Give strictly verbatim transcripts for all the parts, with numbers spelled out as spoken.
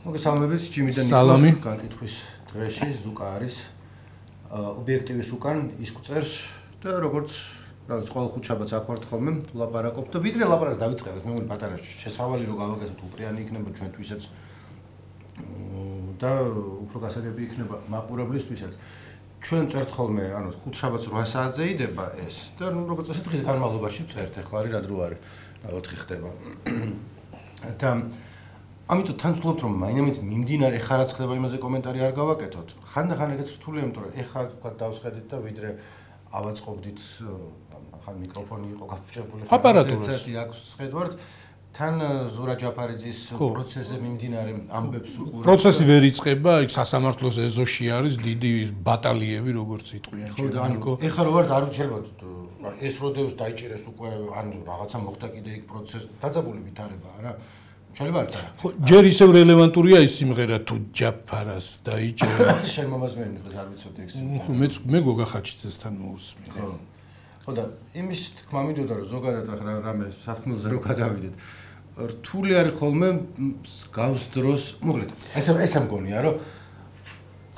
მოგესალმებით, ჯიმიდან სალამი. განკითხვის დღეში ზუკა არის ობიექტივის უკან ის გვწერს და როგორც რაღაც ყოველ ხუთშაბათს აქ ვართ ხოლმე ლაპარაკობთ და ვიდრე ლაპარაკს დავიწყებთ მე მგონი პატარა შესავალი რო გავაკეთოთ უპრიანი იქნება ჩვენთვისაც და უფრო გასაგები იქნება მაყურებლისთვისაც ჩვენ წერთ ხოლმე ანუ ხუთშაბათს რვა საათზე იდება ეს და ნუ როგორც წესი დღის განმავლობაში წერთ ახლა არის რა დრო არის რა ოთხი ხდება და ამიტომ თან ვცდილობთ რომ მაინც მიმდინარე ხა რაც ხდება იმაზე კომენტარი არ გავაკეთოთ. ხანდახან ეგეც რთულია, იმიტომ რომ ეხა თქვა დავსხედით და ვიდრე ავაწყობდით ხან მიკროფონი იყო გაფრჩებული. აპარატურას აქვს სხედვართ. თან ზურა ჯაფარიძის პროცესზე მიმდინარე ამბებს უყურებთ. პროცესი ვერ იწყება, იქ სასამართლოს ეზოში არის დიდი ბატალიები, როგორც იტყვიან ჩემო. ეხა რო ვარ არ ვჩერებოდ ეს როდეოს დაიჭერეს უკვე ანუ რაღაცა მოხდა კიდე იქ პროცესი დაძაბული ვითარებაა რა. შეიძლება არც არა. ჯერ ისევ რელევანტურია ის სიმღერა თუ ჯაფარას დაიჭერა. შენ მომას მე დღეს არ ვიცოდი ეს. ხო მე მე გოგა ხაჩიძესთან მოусმინე. ხო. ხო და იმის თქმა მინდოდა რომ ზოგადად რა რამე სათქმელზე რო გადავიდეთ. რთული არის ხოლმე გავს დროს, მოკლედ. ესე ესე მგონია რომ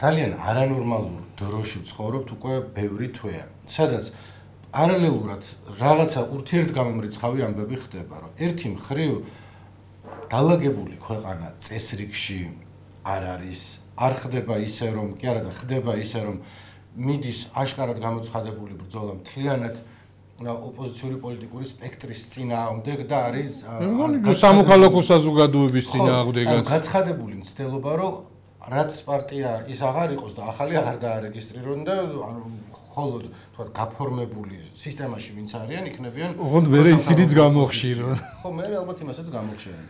ძალიან არანორმალურ დროში ვცხოვრობთ უკვე ბევრი თვეა. სადაც პარალელურად რაღაცა ურთიერთგამომრიცხავი ამბები ხდება, რომ ერთი მხრივ დალაგებული ქვეყანა წესრიგში არ არის, არ ხდება ისე რომ, კი არა და ხდება ისე რომ მიდის აშკარად გამოცხადებული ბრძოლა მთლიანად ოპოზიციური პოლიტიკური სპექტრის წინააღმდეგ და არის სამოქალაქო საზოგადოების წინააღმდეგაც. გაცხადებული მცდელობა რომ რაც პარტია ის აღარ იყოს და ახალი აღარ დაარეგისტრირონ და ანუ ხოლოდ თქვა გაფორმებული სისტემაში ვინც არიან იქნებიან ოღონდ მე ისინიც გამოხშირონ. ხო მე ალბათ იმასაც გამოხშირენ.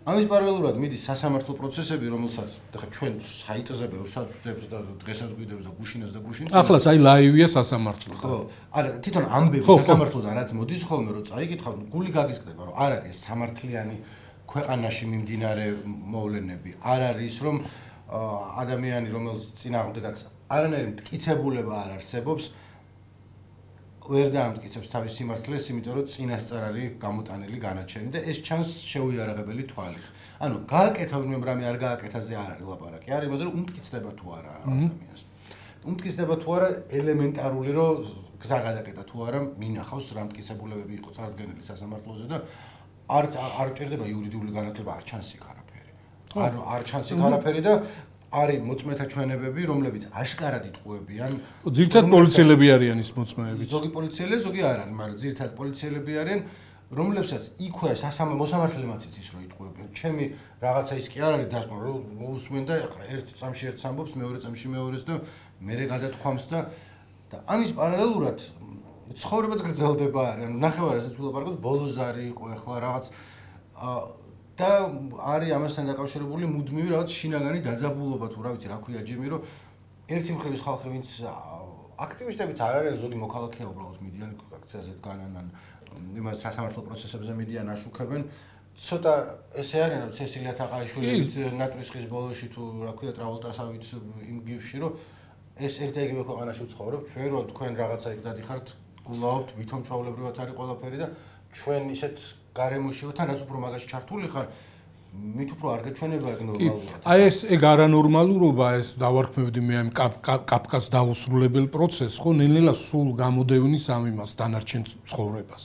ამის პარალელურად მიდის სასამართლო პროცესები, რომელსაც ხა ჩვენ საიტზე ბევრსაც ვხვდებით და დღესაც გვიდებს და გუშინას და გუშინს. ახლაც აი ლაივია სასამართლო. ხო, არა, თვითონ ამბები სასამართლოდან რაც მოდის ხოლმე რომ წაიკითხავ, გული გაგისკდება, რომ არ არის სამართლიანი ქვეყანაში მიმდინარე მოვლენები. არ არის რომ ადამიანი, რომელს წინააღმდეგაც არანაირი მტკიცებულება არ არსებობს, ვერ დაამტკიცებს თავის სიმართლეს, იმიტომ რომ წინასწარ არის გამოტანილი განაჩენი და ეს ჩანს შეუიარაღებელი თვალით. ანუ გააკეთა ვინმე რამე არ გააკეთაზე არ არის ლაპარაკი. არის იმაზე რომ უმტკიცდება თუ არა ადამიანს. უმტკიცდება თუ არა ელემენტარული რომ გზა გადაკეტა თუ არა მინახავს რა მტკიცებულებები იყო წარდგენილი სასამართლოზე და არ არ ჭირდება იურიდიული განათლება, არ ჩანს იქ არაფერი. არ არ ჩანს იქ არაფერი და არის მოწმეთა ჩვენებები, რომლებიც აშკარად იტყუებიან. ძირითადად პოლიციელები არიან ის მოწმეები. ზოგი პოლიციელები, ზოგი არ არის, მაგრამ ძირითადად პოლიციელები არიან, რომლებსაც იქვე მოსამართლემაც იცის რომ იტყუებიან. ჩემი რაღაცა ის კი არ არის დასკვნა, რომ მოусმენ და ერთ წამში ერთს ამბობს, მეორე წამში მეორეს და მერე გადათქვამს და და ამის პარალელურად ცხოვრებაც გრძელდება არის. ანუ ნახევარ ასეც ვილაპარაკოთ, ბოლოს არის იყო ახლა რაღაც და არის ამასთან დაკავშირებული მუდმივი რაღაც შინაგანი დაძაბულობა თუ რა ვიცი რა ქვია ჯიმი რომ ერთი მხრივ ის ხალხი ვინც აქტივისტებიც არ არიან ზოგი მოქალაქეა უბრალოდ მიდიან აქციაზე დგანან ან იმას სასამართლო პროცესებზე მიდიან აშუქებენ ცოტა ესე არის რომ ცესილია თაყაიშვილის ნატრისხის ბოლოში თუ რა ქვია ტრავალტასავით იმ გიფში რომ ეს ერთ და იგივე ქვეყანაში ვცხოვრობ ჩვენ რომ თქვენ რაღაცა იქ დადიხართ გულაობთ ვითომ ჩაულებრივად არის ყველაფერი და ჩვენ ისეთ გარემოში ვართ, რაც უფრო მაგაში ჩართული ხარ, მით უფრო არ გაჩვენება ეგ ნორმალურად. აი ეს ეგ არანორმალურობა, ეს დავარქმევდი მე ამ კაფკას დაუსრულებელ პროცესს, ხო, ნელ-ნელა სულ გამოდევნის ამ იმას დანარჩენ ცხოვრებას.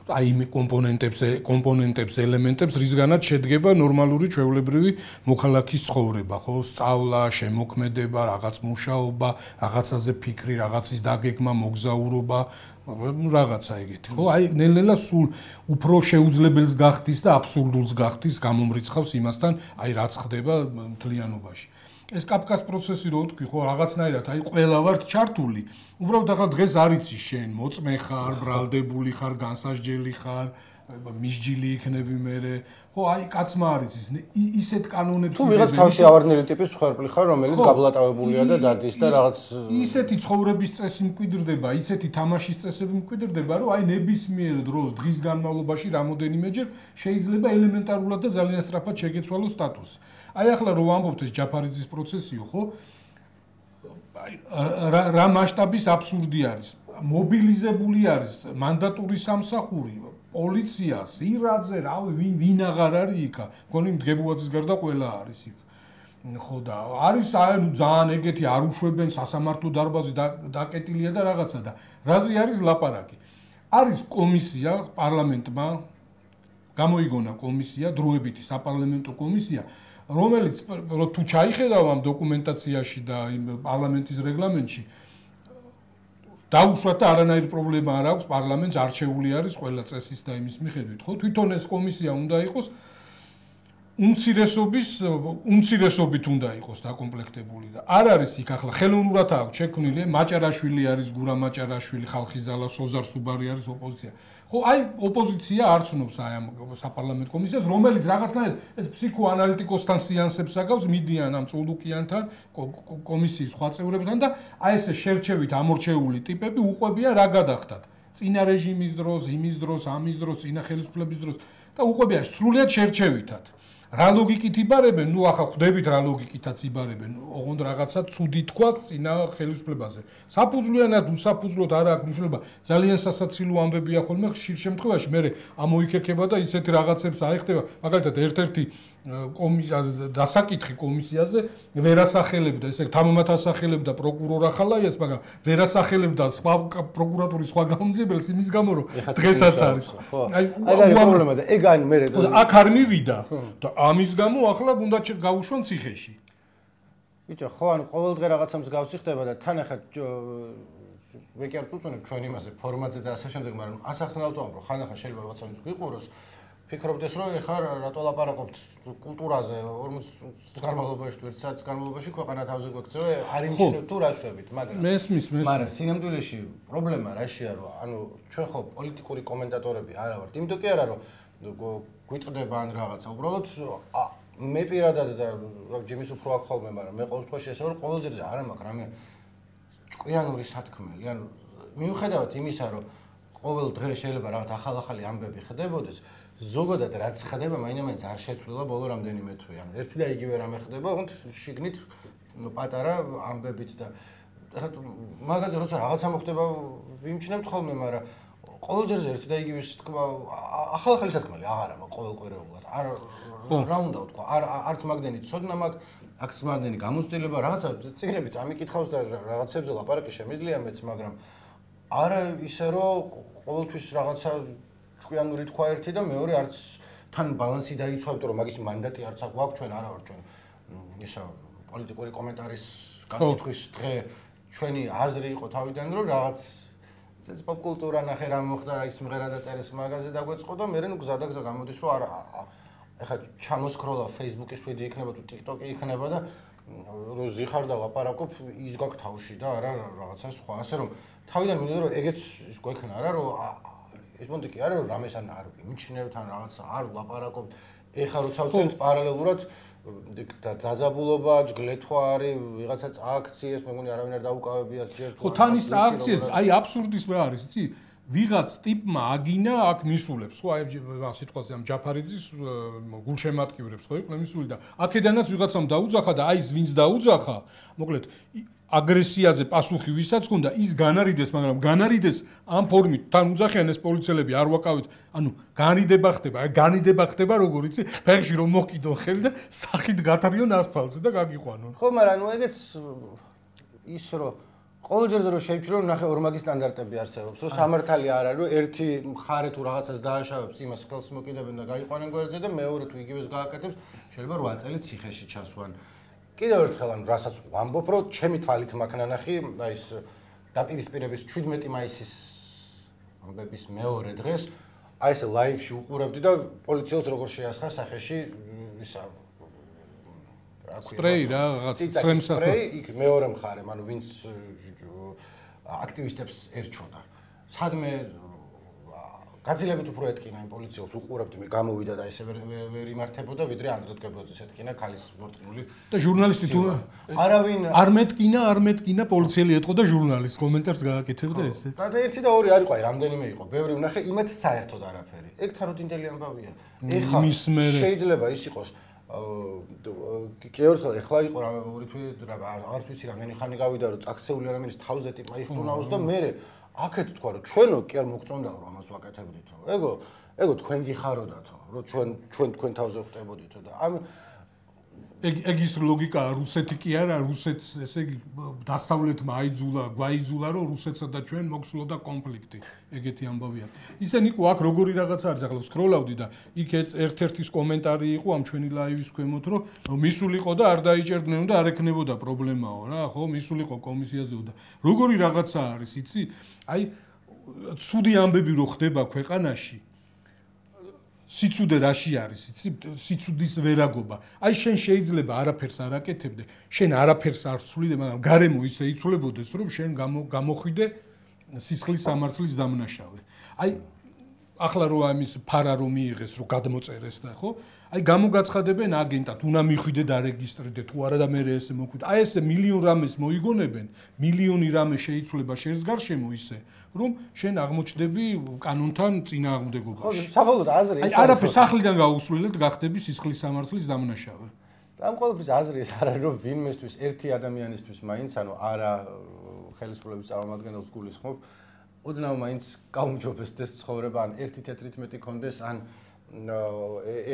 აი იმ კომპონენტებს, კომპონენტებს, ელემენტებს, რისგანაც შედგება ნორმალური ჩვეულებრივი მოქალაქის ცხოვრება, ხო, სწავლა, შემოქმედება, რაღაც მუშაობა, რაღაცაზე ფიქრი, რაღაცის დაგეგმა, მოგზაურობა ну რაღაცა ეგეთი ხო აი ნელ-ნელა სულ უფრო შეუძლებელს გახდის და აბსურდულს გახდის გამომრიცხავს იმასთან აი რაც ხდება მთლიანობაში ეს კაფკას პროცესი რო თქვი ხო რაღაცნაირად აი ყველა ვართ ჩართული უბრალოდ ახლა დღეს არ იცი შენ მოწმე ხარ ბრალდებული ხარ განსასჯელი ხარ მისჯილი იქნები მე ხო აი კაცმა არის ის ისეთ კანონებს თუ ვიღაც თავში ავარდნილი ტიპის ხარბლი ხარ რომელიც გაბლატავებულია და დადის და რაღაც ისეთი ცხოვრების წესი მკვიდრდება ისეთი თამაშის წესები მკვიდრდება რომ აი ნებისმიერ დროს დღის განმავლობაში რამოდენიმეჯერ შეიძლება ელემენტარულად და ძალიან სწრაფად შეგეცვალოს სტატუსი აი ახლა რო ვამბობთ ეს ჯაფარიძის პროცესიო ხო აი რა მასშტაბის აბსურდი არის მობილიზებული არის მანდატური სამსახური პოლიციას, ირაძე, რავი, ვინ ვინ აღარ არის იქა. მგონი მდგებუაძის გარდა ყველა არის იქ. ხო და არის აი ნუ ძალიან ეგეთი არ უშვებენ სასამართლო დარბაზი დაკეტილია და რაღაცა და რაზე არის ლაპარაკი. არის კომისია პარლამენტმა გამოიგონა კომისია, დროებითი საპარლამენტო კომისია, რომელიც თუ ჩაიხედავ ამ დოკუმენტაციაში და იმ პარლამენტის რეგლამენტში დაუშვათ და არანაირი პრობლემა არ აქვს პარლამენტს არჩეული არის ყველა წესის და იმის მიხედვით, ხო? თვითონ ეს კომისია უნდა იყოს უმცირესობის უმცირესობით უნდა იყოს დაკომპლექტებული და არ არის იქ ახლა ხელოვნურად აქვს შექმნილი მაჭარაშვილი არის გურამ მაჭარაშვილი ხალხის ზალა სოზარ სუბარი არის ოპოზიცია ხო აი ოპოზიცია არ ცნობს აი ამ საპარლამენტო კომისიას რომელიც რაღაცნაირად ეს ფსიქოანალიტიკოსთან სეანსებს აგავს მიდიან ამ წულუკიანთან კომისიის სხვა წევრებთან და აი ესე შერჩევით ამორჩეული ტიპები უყვებია რა გადახდათ წინა რეჟიმის დროს იმის დროს ამის დროს წინა ხელისუფლების დროს და უყვებია სრულიად შერჩევითად რა ლოგიკით იბარებენ? ნუ ახლა ხვდებით რა ლოგიკითაც იბარებენ. ოღონდ რაღაცა ცუდი თქვას წინა ხელისუფლებაზე. საფუძვლიანად უსაფუძვლოდ არ აქვს მნიშვნელობა. ძალიან სასაცილო ამბებია ხოლმე ხშირ შემთხვევაში მე ამოიქერქება და ისეთი რაღაცებს აიხდება. მაგალითად ერთ-ერთი კომისია დასაკითხი კომისიაზე ვერასახელებდა ესე თამამად ასახელებდა პროკურორ ახალაიას, მაგრამ ვერასახელებდა სხვა პროკურატურის სხვა გამომძიებელს იმის გამო რომ დღესაც არის. აი აი პრობლემა და ეგ ან მე აქ არ მივიდა და ამის გამო ახლა უნდა გავუშვან ციხეში. ბიჭო, ხო ანუ ყოველდღე რაღაცამს გავცი ხდება და თან ახლა მე კი არ წუწუნებ ჩვენ იმაზე ფორმატზე და ასე შემდეგ, მაგრამ ასახსნელად ვამბობ, რომ ხან ახლა შეიძლება რაღაცა ვიყუროს ფიქრობდეს რომ ეხლა რატო ლაპარაკობთ კულტურაზე ორმოც წლის განმავლობაში თუ ერთ საათის განმავლობაში ქვეყანა თავზე გვექცევა არ იმჩნევთ თუ რა შვებით მაგრამ მესმის მესმის მაგრამ სინამდვილეში პრობლემა რაშია რომ ანუ ჩვენ ხო პოლიტიკური კომენტატორები არა ვართ იმიტომ კი არა რომ გვიტყდება ან რაღაცა უბრალოდ მე პირადად და ჯიმის უფრო აქ ხოლმე მაგრამ მე ყოველ შემთხვევაში ესე ვარ ყოველ ჯერზე არა მაქვს რამე ჭკვიანური სათქმელი ანუ მიუხედავად იმისა რომ ყოველ დღე შეიძლება რაღაც ახალ-ახალი ამბები ხდებოდეს ზოგადად რაც ხდება მაინც არ შეცვლილა ბოლო რამდენიმე თვე ანუ ერთი და იგივე რამე ხდება თუმცა შიგნით პატარა ამბებით და ეხლა მაგაზე როცა რაღაცა მოხდება ვიმჩნევთ ხოლმე მაგრამ ყოველ ჯერზე ერთი და იგივე თქმა ახალ-ახალი სათქმელი აღარა მაქვს ყოველკვირეულად არ რა უნდა ვთქვა არ არც მაგდენი ცოდნა მაქვს აქ მაგდენი გამოცდილება რაღაცა წიგნები წამიკითხავს და რაღაცებზე ლაპარაკი შემიძლია მეც მაგრამ არა ისე რომ ყოველთვის რაღაცა ჭკვიანური თქვა ერთი და მეორე არც თან ბალანსი დაიცვა, იმიტომ რომ მაგის მანდატი არც აქვს ჩვენ არა ვარ ჩვენ ისა პოლიტიკური კომენტარის გაკითხვის დღე ჩვენი აზრი იყო თავიდან რომ რაღაც ეს პოპკულტურა ნახე რა მოხდა რა ის მღერა და წერეს მაგაზე დაგვეწყო და მე ნუ გზა და გზა გამოდის რომ არა ეხლა ჩამოსკროლა Facebook-ის ვიდეო იქნება თუ TikTok-ი იქნება და რო ზიხარ და ლაპარაკობ ის გაქვს თავში და არა რაღაცა სხვა ასე რომ თავიდან მინდა რომ ეგეც ის გვექნა არა რომ ეს მომენტი კი არა რომ რამეს ან არ იმჩნევთ ან რაღაცა არ ლაპარაკობთ ეხლა როცა ვწერთ პარალელურად დაძაბულობა ჯგლეთვა არის ვიღაცა წააქციეს მე მგონი არავინ არ დაუკავებიათ ჯერ ხო თან ის წააქციეს აი აბსურდის რა არის იცი ვიღაც ტიპმა აგინა აქ მისულებს ხო აი სიტყვაზე ამ ჯაფარიძის გულშემატკივრებს ხო იყვნენ მისული და აქედანაც ვიღაცამ დაუძახა და აი ის ვინც დაუძახა მოკლედ აგრესიაზე პასუხი ვისაც ჰქონდა ის განარიდეს მაგრამ განარიდეს ამ ფორმით თან უძახიან ეს პოლიციელები არ ვაკავით ანუ განიდება ხდება აი განიდება ხდება როგორ იცი ფეხში რომ მოკიდონ ხელი და სახით გათრიონ ასფალტზე და გაგიყვანონ ხო მაგრამ ნუ ეგეც ის რომ ყოველ ჯერზე რომ შეიჩრო ნახე ორმაგი სტანდარტები არსებობს რომ სამართალი არ არის რომ ერთი მხარე თუ რაღაცას დააშავებს იმას ხელს მოკიდებენ და გაიყვანენ გვერდზე და მეორე თუ იგივეს გააკეთებს შეიძლება რვა წელი ციხეში ჩასვან კიდევ ერთხელ ანუ რასაც ვამბობ რომ ჩემი თვალით მაქვს ნანახი აი ეს დაპირისპირების შვიდმეტი მაისის ამბების მეორე დღეს აი ეს ლაივში უყურებდი და პოლიციელს როგორ შეასხა სახეში ისა სპრეი რა რაღაც სრემსა სპრეი იქ მეორე მხარე ანუ ვინც აქტივისტებს ერჩოდა სადმე გაძლიერებით უფრო ეთკინა იმ პოლიციელს უყურებდი მე გამოვიდა და ესე ვერ იმართებოდა ვიდრე ანდრე დგებოძეს ეთკინა ქალის მორტყმული და ჟურნალისტი თუ არავინ არ მეტკინა არ მეტკინა პოლიციელი ეთყო და ჟურნალისტს კომენტარს გააკეთებდა ესეც და ერთი და ორი არ იყო აი რამდენიმე იყო ბევრი ვნახე იმათ საერთოდ არაფერი ეგ თაროდინდელი ამბავია ეხა შეიძლება ის იყოს კი ერთხელ ეხლა იყო რა ორი თვე რა არც ვიცი რა მე ხანი გავიდა რომ წაქცეული ადამიანის თავზე ტიპა იხტუნაოს და მე აქეთ თქვა რომ ჩვენო კი არ მოგწონდა რომ ამას ვაკეთებდითო ეგო ეგო თქვენ გიხაროდათო, რომ ჩვენ ჩვენ თქვენ თავზე ვხდებოდითო და ამ ეგ ეგ ის ლოგიკაა, რუსეთი კი არა, რუსეთს ესე იგი დასავლეთმა აიძულა, გვაიძულა, რომ რუსეთსა და ჩვენ მოხსნოდა კონფლიქტი. ეგეთი ამბავია. ისე ნიკო აქ როგორი რაღაცა არის, ახლა სკროლავდი და იქ ერთ-ერთის კომენტარი იყო ამ ჩვენი ლაივის ქვემოთ, რომ მისულიყო და არ დაიჭერდნენ და არ ექნებოდა პრობლემაო რა, ხო, მისულიყო კომისიაზეო და როგორი რაღაცა არის, იცი? აი ცუდი ამბები რო ხდება ქვეყანაში სიცუდე რაში არის, იცი? სიცუდის ვერაგობა. აი შენ შეიძლება არაფერს არ აკეთებდე, შენ არაფერს არ ცვლიდე, მაგრამ გარემო ისე იცვლებოდეს, რომ შენ გამოხვიდე სისხლის სამართლის დამნაშავე. აი ახლა რო ამის ფარა რომ მიიღეს, რომ გადმოწერეს და ხო? აი გამოგაცხადებენ აგენტად, უნდა მიხვიდე და რეგისტრირდე, თუ არა და მე ესე მოკვიდე. აი ესე მილიონ რამეს მოიგონებენ, მილიონი რამე შეიცვლება შენს გარშემო ისე, რომ შენ აღმოჩნდები კანონთან წინააღმდეგობაში. ხო, საბოლოოდ აზრი ის არის. აი არაფერს სახლიდან გაუსვლელად გახდები სისხლის სამართლის დამნაშავე. ამ ყოველთვის აზრი ის არის, რომ ვინმესთვის ერთი ადამიანისთვის მაინც, ანუ არა ხელისუფლების წარმომადგენელს გულისხმობ, ოდნავ მაინც გაუმჯობესდეს ცხოვრება, ან ერთი თეთრით მეტი კონდეს, ან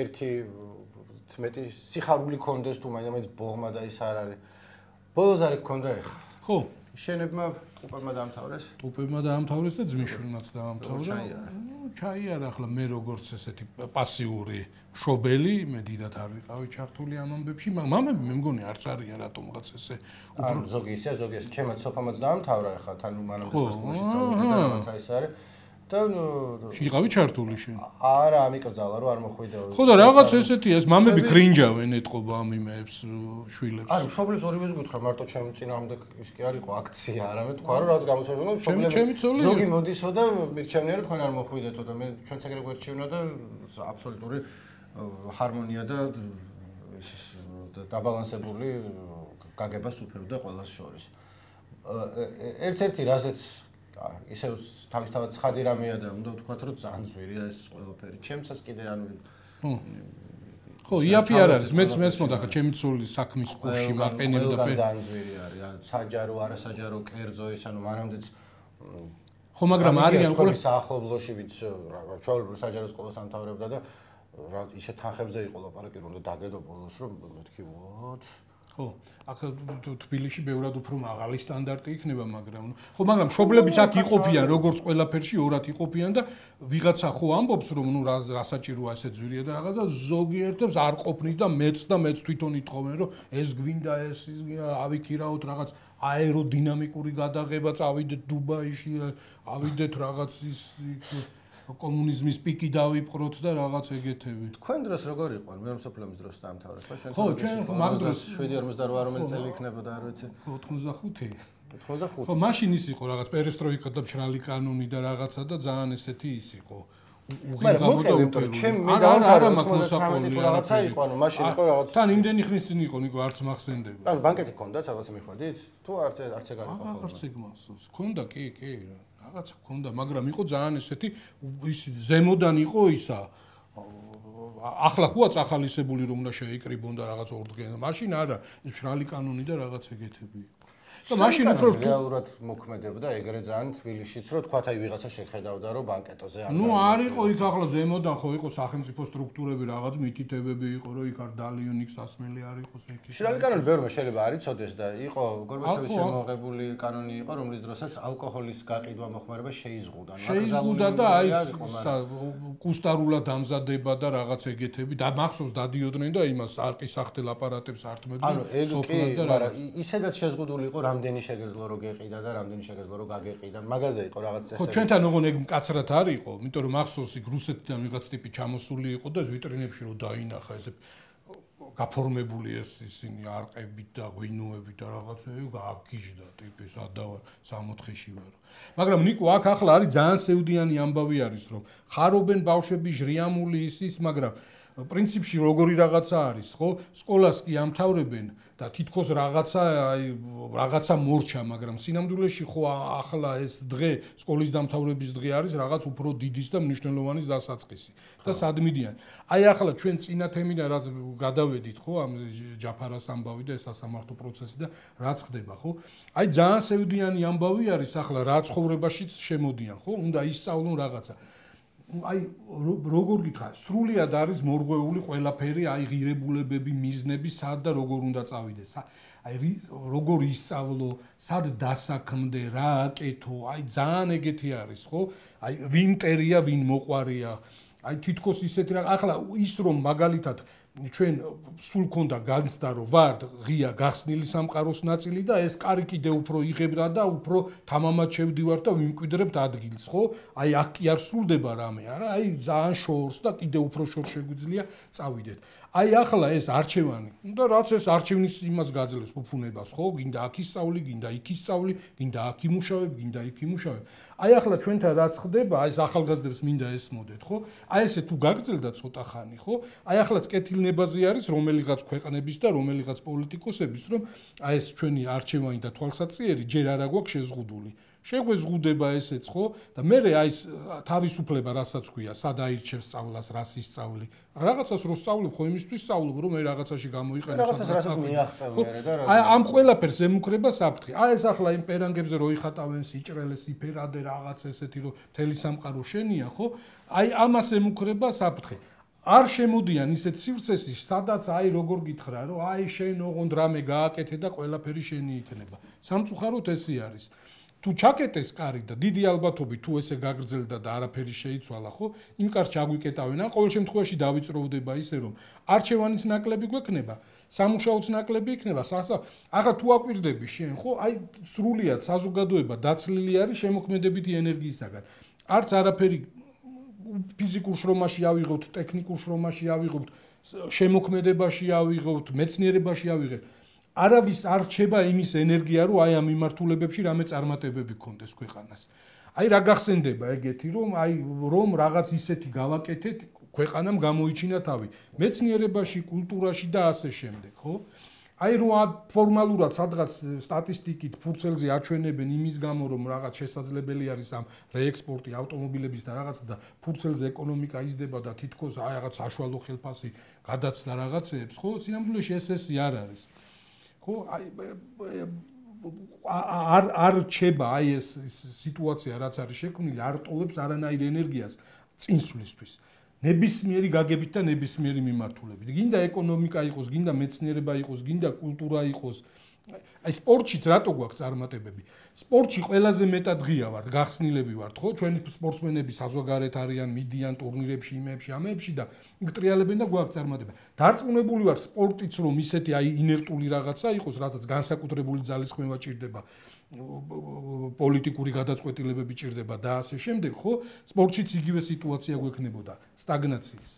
ერთი მეტი სიხარული კონდეს, თუ მაინც ბოღმა და ის არ არის. ბოლოს არის გქონდა ეხლა. ხო, შენებმა ტუპებმა დაამთავრეს? ტუპებმა დაამთავრეს და ძმისშვილმაც დაამთავრა. ჩაიარა ახლა მე როგორც ესეთი პასიური მშობელი, მე დიდად არ ვიყავი ჩართული ამ ამბებში, მამები მე მგონი არც არიან რატომღაც ესე უფრო ზოგი ისე, ზოგი ესე, ჩემაც სოფამაც დაამთავრა ახლა თან მანამდე სკოლაში წავედი და რაღაც აი ეს არის. და ვიყავი ჩართული შენ? არა, ამიკრძალა რომ არ მოხვიდეო. ხო და რაღაც ესეთი ეს მამები გრინჯავენ ეთყობა ამ იმეებს შვილებს. არა, მშობლებს ორივეს გითხრა, მარტო ჩემ წინააღმდეგ ის კი არ იყო აქცია, არამედ თქვა რომ რაღაც გამოცხადდა, მშობლებს ზოგი მოდისო და მირჩევნია რომ თქვენ არ მოხვიდეთო და მე ჩვენც ეგრე გვერჩევნა და აბსოლუტური ჰარმონია და დაბალანსებული გაგებას უფევდა ყველას შორის. ერთ-ერთი რაზეც ისე თავისთავად ცხადი რამეა და უნდა ვთქვათ რომ ძალიან ძვირია ეს ყველაფერი. ჩემსაც კიდე ანუ ხო, იაფი არ არის, მეც მესმოდა ხა ჩემი ცული საქმის კურსში მაყენებდა და ძალიან ძვირი არის, ანუ საჯარო, არასაჯარო, კერძო ის ანუ მანამდეც ხო, მაგრამ არიან ყველა საახლობლოში ვიც ჩვეულებრივ საჯარო სკოლას ამთავრებდა და რა ისე თანხებზე იყო ლაპარაკი რომ დაგედო ბოლოს რომ მეთქი ვოთ ხო, ახლა თბილისში ბევრად უფრო მაღალი სტანდარტი იქნება, მაგრამ ხო, მაგრამ მშობლებიც აქ იყოფიან, როგორც ყველაფერში ორად იყოფიან და ვიღაცა ხო ამბობს, რომ ნუ რა საჭიროა ესე ძვირია და რაღაც და ზოგიერთებს არ ყოფნით და მეც და მეც თვითონ იტყობენ, რომ ეს გვინდა, ეს ის ავიქირაოთ რაღაც აეროდინამიკური გადაღება, წავიდეთ დუბაიში, ავიდეთ რაღაც ის კომუნიზმის პიკი დავიპყროთ და რაღაც ეგეთები. თქვენ დროს როგორ იყო? მეორე მსოფლიო ომის დროს დაამთავრეს, ხო? შენ ხო, ჩვენ მაგ დროს შვიდი ორმოცდაოთხ რომელი წელი იქნებოდა, არ ვიცი. ოთხმოცდახუთი. ოთხმოცდახუთი. ხო, მაშინ ის იყო რაღაც პერესტროიკა და მშრალი კანონი და რაღაცა და ძალიან ესეთი ის იყო. უღირღავო და უპირობო. ჩემ მე დაამთავრა ოთხმოცდათვრამეტი თუ რაღაცა იყო, ანუ მაშინ იყო რაღაც. თან იმდენი ხნის წინ იყო, ნიკო, არც მახსენდება. ანუ ბანკეთი ქონდათ, რაღაც მიხვედით? თუ არც არც ეგ არ იყო ხოლმე. აღარც ეგ მახსოვს. ქონდა, კი, კი. რაღაცა ქონდა, მაგრამ იყო ძალიან ესეთი ის ზემოდან იყო ისა ახლა ხუა წახალისებული რომ უნდა შეიკრიბონ და რაღაც ორდღიან. მაშინ არა, მშრალი კანონი და რაღაც ეგეთები იყო. და მაშინ უფრო რეალურად მოქმედებდა ეგრე ძალიან თბილისშიც, რომ თქვათ აი ვიღაცა შეხედავდა რომ ბანკეტოზე არ ნუ არ იყო იქ ახლა ზემოდან ხო იყო სახელმწიფო სტრუქტურები, რაღაც მითითებები იყო, რომ იქ არ დალიონიქს ასმელი არ იყოს იქ. მშრალი კანონი ბევრმა შეიძლება არ იცოდეს და იყო გორბაჩოვის შემოღებული კანონი იყო, რომლის დროსაც ალკოჰოლის გაყიდვა მოხმარება შეიზღუდა. შეიზღუდა და აი კუსტარულად ამზადება და რაღაც ეგეთები და მახსოვს დადიოდნენ და იმას არყის სახთელ აპარატებს ართმევდნენ. ანუ ეგ კი, მაგრამ ისედაც შეზღუდული იყო რამდენი შეგეძლო რო გეყიდა და რამდენი შეგეძლო რო გაგეყიდა. მაგაზე იყო რაღაც ესე. ხო, ჩვენთან ოღონ ეგ მკაცრად არ იყო, იმიტომ რომ ახსოვს იქ რუსეთიდან ვიღაც ტიპი ჩამოსული იყო და ვიტრინებში რო დაინახა ესე გაფორმებული ეს ისინი არყებით და ღვინოებით და რაღაცები გააგიჟდა ტიპი სადავა სამოთხეში ვარო. მაგრამ ნიკო აქ ახლა არის ძალიან სევდიანი ამბავი არის რომ ხარობენ ბავშვები ჟრიამული ის ის, მაგრამ პრინციპში როგორი რაღაცა არის, ხო? სკოლას კი ამთავრებენ და თითქოს რაღაცა აი რაღაცა მორჩა, მაგრამ სინამდვილეში ხო ახლა ეს დღე, სკოლის დამთავრების დღე არის რაღაც უფრო დიდის და მნიშვნელოვანის დასაწყისი. და სადმიდიან. აი ახლა ჩვენ წინა თემიდან რაც გადავედით, ხო, ამ ჯაფარას ამბავი და ეს სასამართლო პროცესი და რაც ხდება, ხო? აი ძალიან სევდიანი ამბავი არის ახლა რა ცხოვრებაშიც შემოდიან, ხო? უნდა ისწავლონ რაღაცა. აი როგორ გითხრა, სრულიად არის მორღვეული ყველაფერი, აი ღირებულებები, მიზნები, სად და როგორ უნდა წავიდეს. აი როგორ ისწავლო, სად დასაქმდე, რა აკეთო, აი ძალიან ეგეთი არის, ხო? აი ვინ მტერია, ვინ მოყვარია. აი თითქოს ისეთი რა, ახლა ის რომ მაგალითად ჩვენ სულ ქონდა განცდა რომ ვართ ღია გახსნილი სამყაროს ნაწილი და ეს კარი კიდე უფრო იღებდა და უფრო თამამად შევდივართ და ვიმკვიდრებთ ადგილს, ხო? აი აქ კი არ სრულდება რამე, არა? აი ძალიან შორს და კიდე უფრო შორს შეგვიძლია წავიდეთ. აი ახლა ეს არჩევანი, და რაც ეს არჩევნის იმას გაძლევს ფუფუნებას, ხო? გინდა აქ ისწავლი, გინდა იქ ისწავლი, გინდა აქ იმუშავებ, გინდა იქ იმუშავებ. აი ახლა ჩვენთან რაც ხდება, აი ეს ახალგაზრდებს მინდა ესმოდეთ, ხო? აი ესე თუ გაგრძელდა ცოტა ხანი, ხო? აი ახლა კეთილნებაზე არის რომელიღაც ქვეყნების და რომელიღაც პოლიტიკოსების, რომ აი ეს ჩვენი არჩევანი და თვალსაჩინო ჯერ არა გვაქვს შეზღუდული. შეგვეზღუდება ესეც, ხო? და მე აი ეს თავისუფლება რასაც ქვია, სად აირჩევს სწავლას, რას ისწავლი. რაღაცას რო სწავლებ, ხო იმისთვის სწავლობ, რომ მე რაღაცაში გამოიყენო სადღაც. აი ამ ყველაფერს ემუქრება საფრთხე. აი ეს ახლა იმ პერანგებზე რო იხატავენ სიჭრელეს, იფერადე რაღაც ესეთი რო მთელი სამყარო შენია, ხო? აი ამას ემუქრება საფრთხე. არ შემოდიან ისეთ სივრცეში, სადაც აი როგორ გითხრა, რომ აი შენ ოღონდ რამე გააკეთე და ყველაფერი შენი იქნება. სამწუხაროდ ესე არის. თუ ჩაკეტეს კარი და დიდი ალბათობით თუ ესე გაგრძელდა და არაფერი შეიცვალა, ხო? იმ კარს ჩაგვიკეტავენ, ან ყოველ შემთხვევაში დავიწროვდება ისე, რომ არჩევანის ნაკლები გვექნება, სამუშაოც ნაკლები იქნება, სასა. ახლა თუ აკვირდები შენ, ხო? აი სრულიად საზოგადოება დაცლილი არის შემოქმედებითი ენერგიისაგან. არც არაფერი ფიზიკურ შრომაში ავიღოთ, ტექნიკურ შრომაში ავიღოთ, შემოქმედებაში ავიღოთ, მეცნიერებაში ავიღოთ. არავის არ რჩება იმის ენერგია, რომ აი ამ მიმართულებებში რამე წარმატებები გქონდეს ქვეყანას. აი რა გახსენდება ეგეთი, რომ აი რომ რაღაც ისეთი გავაკეთეთ, ქვეყანამ გამოიჩინა თავი. მეცნიერებაში, კულტურაში და ასე შემდეგ, ხო? აი რო ფორმალურად სადღაც სტატისტიკით ფურცელზე აჩვენებენ იმის გამო, რომ რაღაც შესაძლებელი არის ამ რეექსპორტი ავტომობილების და რაღაცა და ფურცელზე ეკონომიკა იზრდება და თითქოს აი რაღაც საშუალო ხელფასი გადაცდა რაღაცეებს, ხო? სინამდვილეში ეს ესე არ არის. ხო, აი არ არ რჩება აი ეს სიტუაცია, რაც არის შექმნილი, არ ტოვებს არანაირ ენერგიას წინსვლისთვის. ნებისმიერი გაგებით და ნებისმიერი მიმართულებით. გინდა ეკონომიკა იყოს, გინდა მეცნიერება იყოს, გინდა კულტურა იყოს. აი სპორტშიც რატო გვაქვს წარმატებები? სპორტში ყველაზე მეტად ღია ვართ, გახსნილები ვართ, ხო? ჩვენი სპორტსმენები საზღვარგარეთ არიან, მიდიან ტურნირებში, იმებში, ამებში და გტრიალებენ და გვაქვს წარმატება. დარწმუნებული ვარ სპორტიც რომ ისეთი აი ინერტული რაღაცა იყოს, რასაც განსაკუთრებული ძალისხმევა ჭირდება, პოლიტიკური გადაწყვეტილებები ჭირდება და ასე შემდეგ, ხო? სპორტშიც იგივე სიტუაცია გვექნებოდა, სტაგნაციის.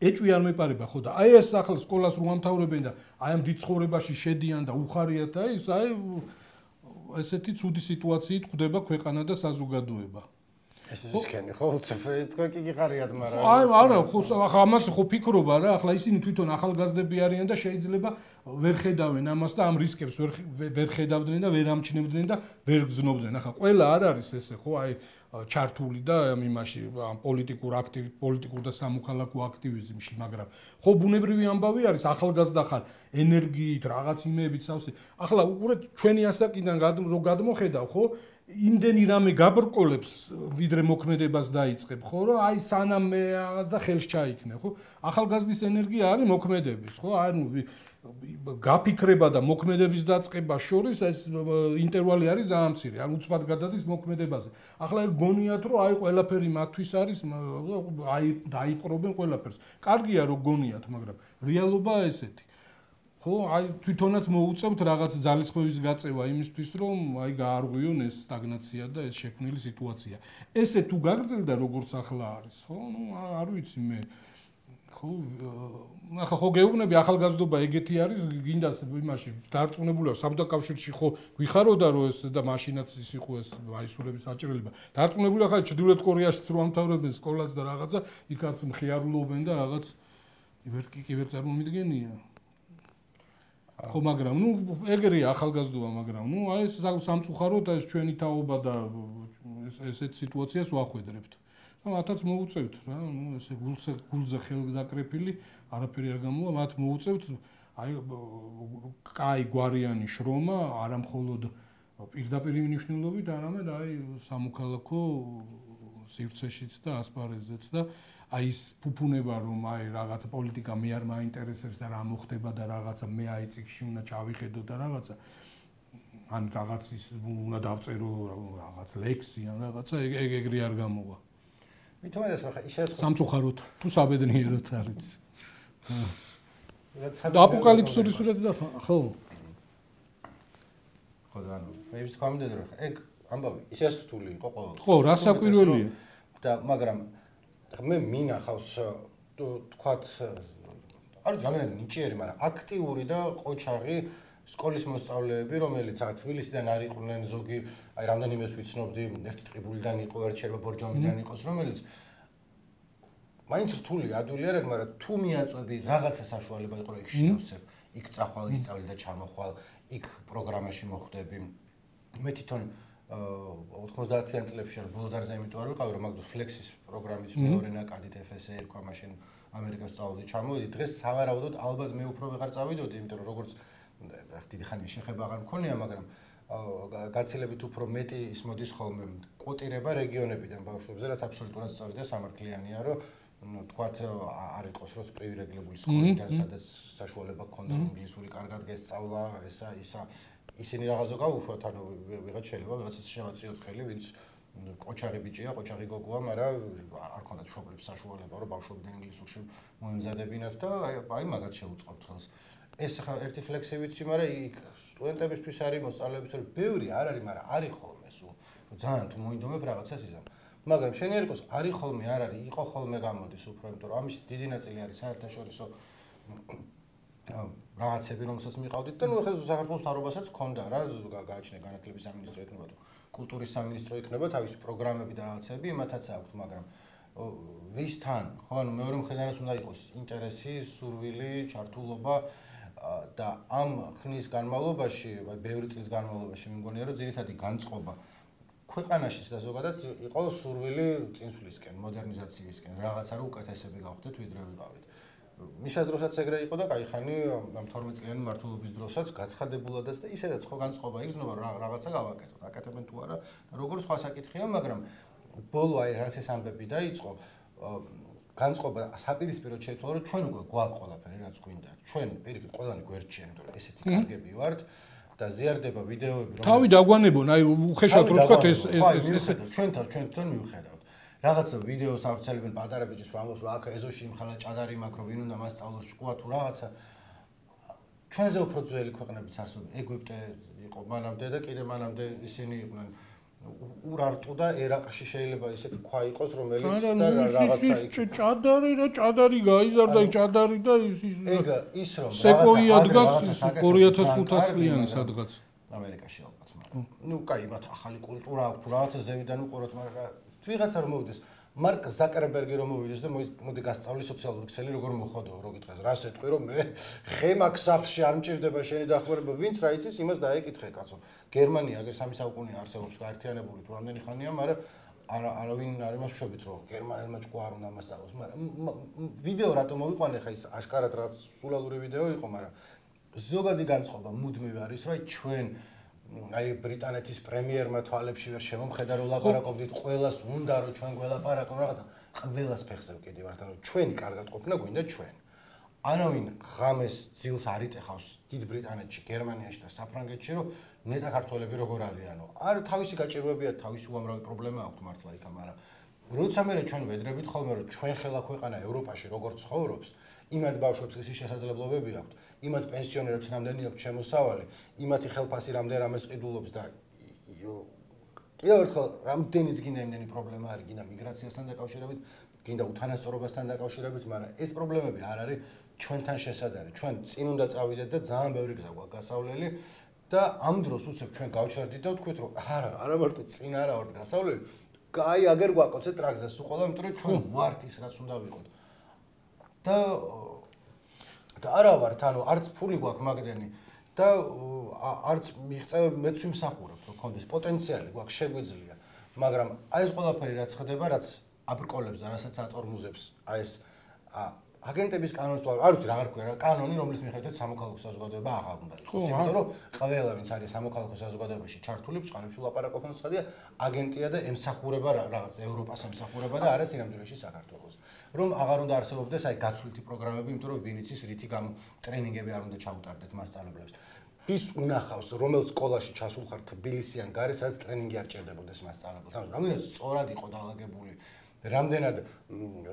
ეჭვი არ მეპარება, ხო და აი ეს ახლა სკოლას რო ამთავრებენ და აი ამ დიდ ცხოვრებაში შედიან და უხარიათ და ის აი ესეთი ცუდი სიტუაციით ხვდება ქვეყანა და საზოგადოება. ეს ის ისქენი, ხო? თქვენ კი გიყარიათ, მაგრამ აი არა, ხო ახლა ამას ხო ფიქრობა რა, ახლა ისინი თვითონ ახალგაზრდები არიან და შეიძლება ვერ ხედავენ ამას და ამ რისკებს ვერ ვერ ხედავდნენ და ვერ ამჩნევდნენ და ვერ გზნობდნენ. ახლა ყველა არ არის ესე, ხო? აი ჩართული და ამ იმაში ამ პოლიტიკურ აქტივ პოლიტიკურ და სამოქალაქო აქტივიზმში, მაგრამ ხო ბუნებრივი ამბავი არის, ახალგაზრდა ხარ, ენერგიით, რაღაც იმეებით სავსე. ახლა უყურეთ ჩვენი ასაკიდან რო გადმოხედავ, ხო? იმდენი რამე გაბრკოლებს, ვიდრე მოქმედებას დაიწყებ, ხო, რომ აი სანამ მე და ხელს ჩაიქნე, ხო? ახალგაზრდის ენერგია არის მოქმედების, ხო? ანუ გაფიქრება და მოქმედების დაწყება შორის ეს ინტერვალი არის ძალიან მცირე, ან უცბად გადადის მოქმედებაზე. ახლა ეგ გონიათ, რომ აი ყველაფერი მათთვის არის, აი დაიპყრობენ ყველაფერს. კარგია რომ გონიათ, მაგრამ რეალობა ესეთი. ხო, აი თვითონაც მოუწევთ რაღაც ძალისხმევის გაწევა იმისთვის, რომ აი გაარღვიონ ეს სტაგნაცია და ეს შექმნილი სიტუაცია. ესე თუ გაგრძელდა როგორც ახლა არის, ხო? ნუ არ ვიცი მე. ხო, ახლა ხო გეუბნები ახალგაზრდობა ეგეთი არის, გინდა იმაში დარწმუნებული ვარ, საბჭოთა კავშირში ხო გვიხაროდა რომ ეს და მაშინაც ის იყო ეს აისურების აჭრელება. დარწმუნებული ახლა ჩრდილოეთ კორეაშიც რო ამთავრებენ სკოლას და რაღაცა, იქაც მხიარულობენ და რაღაც ვერ კი კი ვერ წარმომიდგენია. ხო, მაგრამ ნუ ეგრეა ახალგაზრდობა, მაგრამ ნუ აი ეს სამწუხაროდ ეს ჩვენი თაობა და ესეთ სიტუაციას ვახვედრებთ. და მათაც მოუწევთ რა, ნუ ესე გულზე გულზე ხელდაკრეფილი, არაფერი არ გამოვა, მათ მოუწევთ აი კაი გვარიანი შრომა, არა მხოლოდ პირდაპირ მნიშვნელობით, არამედ აი სამოქალაქო სივრცეშიც და ასპარეზზეც და აი ის ფუფუნება რომ აი რაღაცა პოლიტიკა მე არ მაინტერესებს და რა მოხდება და რაღაცა მე აი წიგში უნდა ჩავიხედო და რაღაცა ან რაღაც ის უნდა დავწერო რაღაც ლექსი ან რაღაცა ეგ ეგრე არ გამოვა. მithumedes რა ისე სამწუხაროდ თუ საბედნიეროდ არის. და აპოკალიფსური სურათი და ხო ხო და ანუ მე ის თქვა მიდე რომ ეგ ამბავი ისე რთული იყო ყოველ ხო რა საკვირველია და მაგრამ მე მინახავს თქვათ არ ვიცი რამდენად ნიჭიერი მაგრამ აქტიური და ყოჩაღი სკოლის მოსწავლეები რომელიც აქ თბილისიდან არ იყვნენ ზოგი აი რამდენიმეს ვიცნობდი ერთი ტყიბულიდან იყო ერთ შეიძლება ბორჯომიდან იყოს რომელიც მაინც რთული ადვილი არ არის მაგრამ თუ მიაწვევი რაღაცა საშუალება იყო იქ შევსებ იქ წახვალ ისწავლი და ჩამოხვალ იქ პროგრამაში მოხვდები მე თვითონ ოთხმოცდაათიან წლებში არ ბოლზარზე იმიტომ არ ვიყავი რომ მაგდროს ფლექსის პროგრამის მეორე ნაკადით ეფ ეს ე ერქვა მაშინ ამერიკას წავედი ჩამოვედი დღეს სავარაუდოდ ალბათ მე უფრო ვეღარ წავიდოდი იმიტომ რომ როგორც დიდი ხანი შეხება აღარ მქონია მაგრამ გაცილებით უფრო მეტი ის მოდის ხოლმე კვოტირება რეგიონებიდან ბავშვებზე რაც აბსოლუტურად სწორი და სამართლიანია რომ ну თქვათ არ იყოს რომ პრივილეგირებული სკოლიდან სადაც საშუალება გქონდა რომ ინგლისური კარგად გესწავლა ესა ისა ისინი რაღაცა გავუშვათ ანუ ვიღაც შეიძლება ვიღაცას შევაწიოთ ხელი ვინც ყოჩაღი ბიჭია ყოჩაღი გოგოა მაგრამ არ ქონდათ მშობლებს საშუალება რომ ბავშვობიდან ინგლისურში მოემზადებინათ და აი მაგათ შეუწყობთ ხელს ეს ხა ერთი ფლექსი ვიცი მაგრამ იქ სტუდენტებისთვის არის მოსწავლეებისთვის ბევრი არ არის მაგრამ არის ხოლმე სულ ძალიან თუ მოინდომებ რაღაცას იზამ მაგრამ შენი ერკოს არის ხოლმე არ არის იყო ხოლმე გამოდის უფრო იმიტომ რომ ამის დიდი ნაწილი არის საერთაშორისო რაღაცები რომელსაც მიყავდით და ნუ ახლა საქართველოს მთავრობასაც ჰქონდა რა გააჩნია განათლების სამინისტრო იქნება თუ კულტურის სამინისტრო იქნება თავისი პროგრამები და რაღაცები იმათაც აქვს მაგრამ ვისთან ხო ანუ მეორე მხედარაც უნდა იყოს ინტერესი სურვილი ჩართულობა და ამ ხნის განმავლობაში აი ბევრი წლის განმავლობაში მე მგონია რომ ძირითადი განწყობა ქვეყანაშიც და ზოგადად იყო სურვილი წინსვლისკენ მოდერნიზაციისკენ რაღაცა რომ უკეთესები გავხდეთ ვიდრე ვიყავით მიშას დროსაც ეგრე იყო და кай ხანი ამ თორმეტ წლიანი მმართველობის დროსაც გაცხადებულადაც და ისედაც ხო განწყობა იგრძნობა რომ რაღაცა გავაკეთოთ აკეთებენ თუ არა და როგორ სხვა საკითხია მაგრამ ბოლო აი რაც ეს ამბები დაიწყო განწყობა საპირისპიროდ შეიცვალა რომ ჩვენ უკვე გვაქვს ყველაფერი რაც გვინდა ჩვენ პირიქით ყველანი გვერდჩიან იმიტომ რომ ესეთი კარგები ვართ და ზიარდება ვიდეოები რომ თავი დაგვანებონ აი უხეშად რო თქვა ეს ეს ეს ჩვენთან ჩვენთან მივხედავთ რაღაცა ვიდეოს ავრცელებენ პატარა ბიჭის რომ ამბობს რომ აქ ეზოში იმხალა ჭადარი მაქვს რომ ვინ უნდა მასწავლოს ჭკუა თუ რაღაცა ჩვენზე უფრო ძველი ქვეყნებიც არსებობენ ეგვიპტე იყო მანამდე და კიდე მანამდე ისინი იყვნენ ურარტუ და ერაყში შეიძლება ისეთი ქვა იყოს რომელიც და რაღაცა იქ ჭადარი რა ჭადარი გაიზარდა ჭადარი და ის ის ეგ ის რომ სეკოია დგას ორი ათას ხუთას წლიანი სადღაც ამერიკაში ალბათ მაგრამ ნუ კაი მათ ახალი კულტურა აქვს რაღაცა ზევიდან უყუროთ მაგრამ ვიღაცა რომ მოვიდეს მარკ ზაკერბერგი რომ მოვიდეს და მოდი გასწავლი სოციალური ქსელი როგორ მოხოდო რო გითხეს რას ეტყვი რომ მე ხემაკ სახლში არ მჭირდება შენი დახმარება ვინც რა იცის იმას დაეკითხე კაცო გერმანია აგერ სამი საუკუნე არსებობს გაერთიანებული თუ რამდენი ხანია მაგრამ არა არავინ არ იმას ვშობით რომ გერმანელმა ჭკუა არ უნდა მასწავლოს მაგრამ ვიდეო რატომ მოვიყვანე ხა ის აშკარად რაც სულალური ვიდეო იყო მაგრამ ზოგადი განწყობა მუდმივ არის რომ ჩვენ აი ბრიტანეთის პრემიერმა თვალებში ვერ შემომხედა რომ ლაპარაკობდით ყველას უნდა რომ ჩვენ გველაპარაკო რაღაცა ყველას ფეხზე ვკიდი ვართ ანუ ჩვენი კარგად ყოფნა გვინდა ჩვენ ანავინ ღამეს ძილს არ იტეხავს დიდ ბრიტანეთში გერმანიაში და საფრანგეთში რომ ნეტა ქართველები როგორ არიანო არ თავისი გაჭირვებია თავისი უამრავი პრობლემა აქვს მართლა იქ მაგრამ როცა მე ჩვენ ვედრებით ხოლმე რომ ჩვენ ხელა ქვეყანა ევროპაში როგორ ცხოვრობს იმათ ბავშვებს ისე შესაძლებლობები აქვთ იმათ პენსიონერებს რამდენი აქვს შემოსავალი იმათი ხელფასი რამდენ რამეს ყიდულობს და კიდევ ერთხელ რამდენიც გინდა იმდენი პრობლემა არის გინდა მიგრაციასთან დაკავშირებით გინდა უთანასწორობასთან დაკავშირებით მაგრამ ეს პრობლემები არ არის ჩვენთან შესაძლებელი ჩვენ წინ უნდა წავიდეთ და ძალიან ბევრი გზა გვაქვს გასავლელი და ამ დროს უცებ ჩვენ გავჩერდით და ვთქვით რომ არა არა მარტო წინ არა ვართ გასავლელი კაი აგერ გვაკოცეთ ტრაქზე სულ ყველა იმიტომ რომ ჩვენ ვართ ის რაც უნდა ვიყოთ და და არა ვართ ანუ არც ფული გვაქვს მაგდენი და არც მიღწევები მეც ვიმსახურებთ რომ კონდეს პოტენციალი გვაქვს შეგვიძლია მაგრამ აი ეს ყველაფერი რაც ხდება რაც აბრკოლებს და რასაც აწორმუზებს აი ეს აგენტების კანონს ვარ, არ ვიცი რა არქვია რა, კანონი, რომლის მიხედვით სამოქალაქო საზოგადოება აღარ უნდა იყოს. იმიტომ რომ ყველა ვინც არის სამოქალაქო საზოგადოებაში ჩართული, ბჭყალებში ლაპარაკობენ სხდია, აგენტია და ემსახურება რაღაც ევროპას ემსახურება და არა სინამდვილეში საქართველოს. რომ აღარ უნდა არსებობდეს აი გაცვლითი პროგრამები, იმიტომ რომ ვინ იცის რითი გამ ტრენინგები არ უნდა ჩაუტარდეთ მასწავლებლებს. ვის უნახავს, რომელ სკოლაში ჩასულ ხარ თბილისიან გარე, სადაც ტრენინგი არ ჭირდებოდეს მასწავლებლებს. ანუ რამდენად სწორად იყო დაალაგებული, რამდენად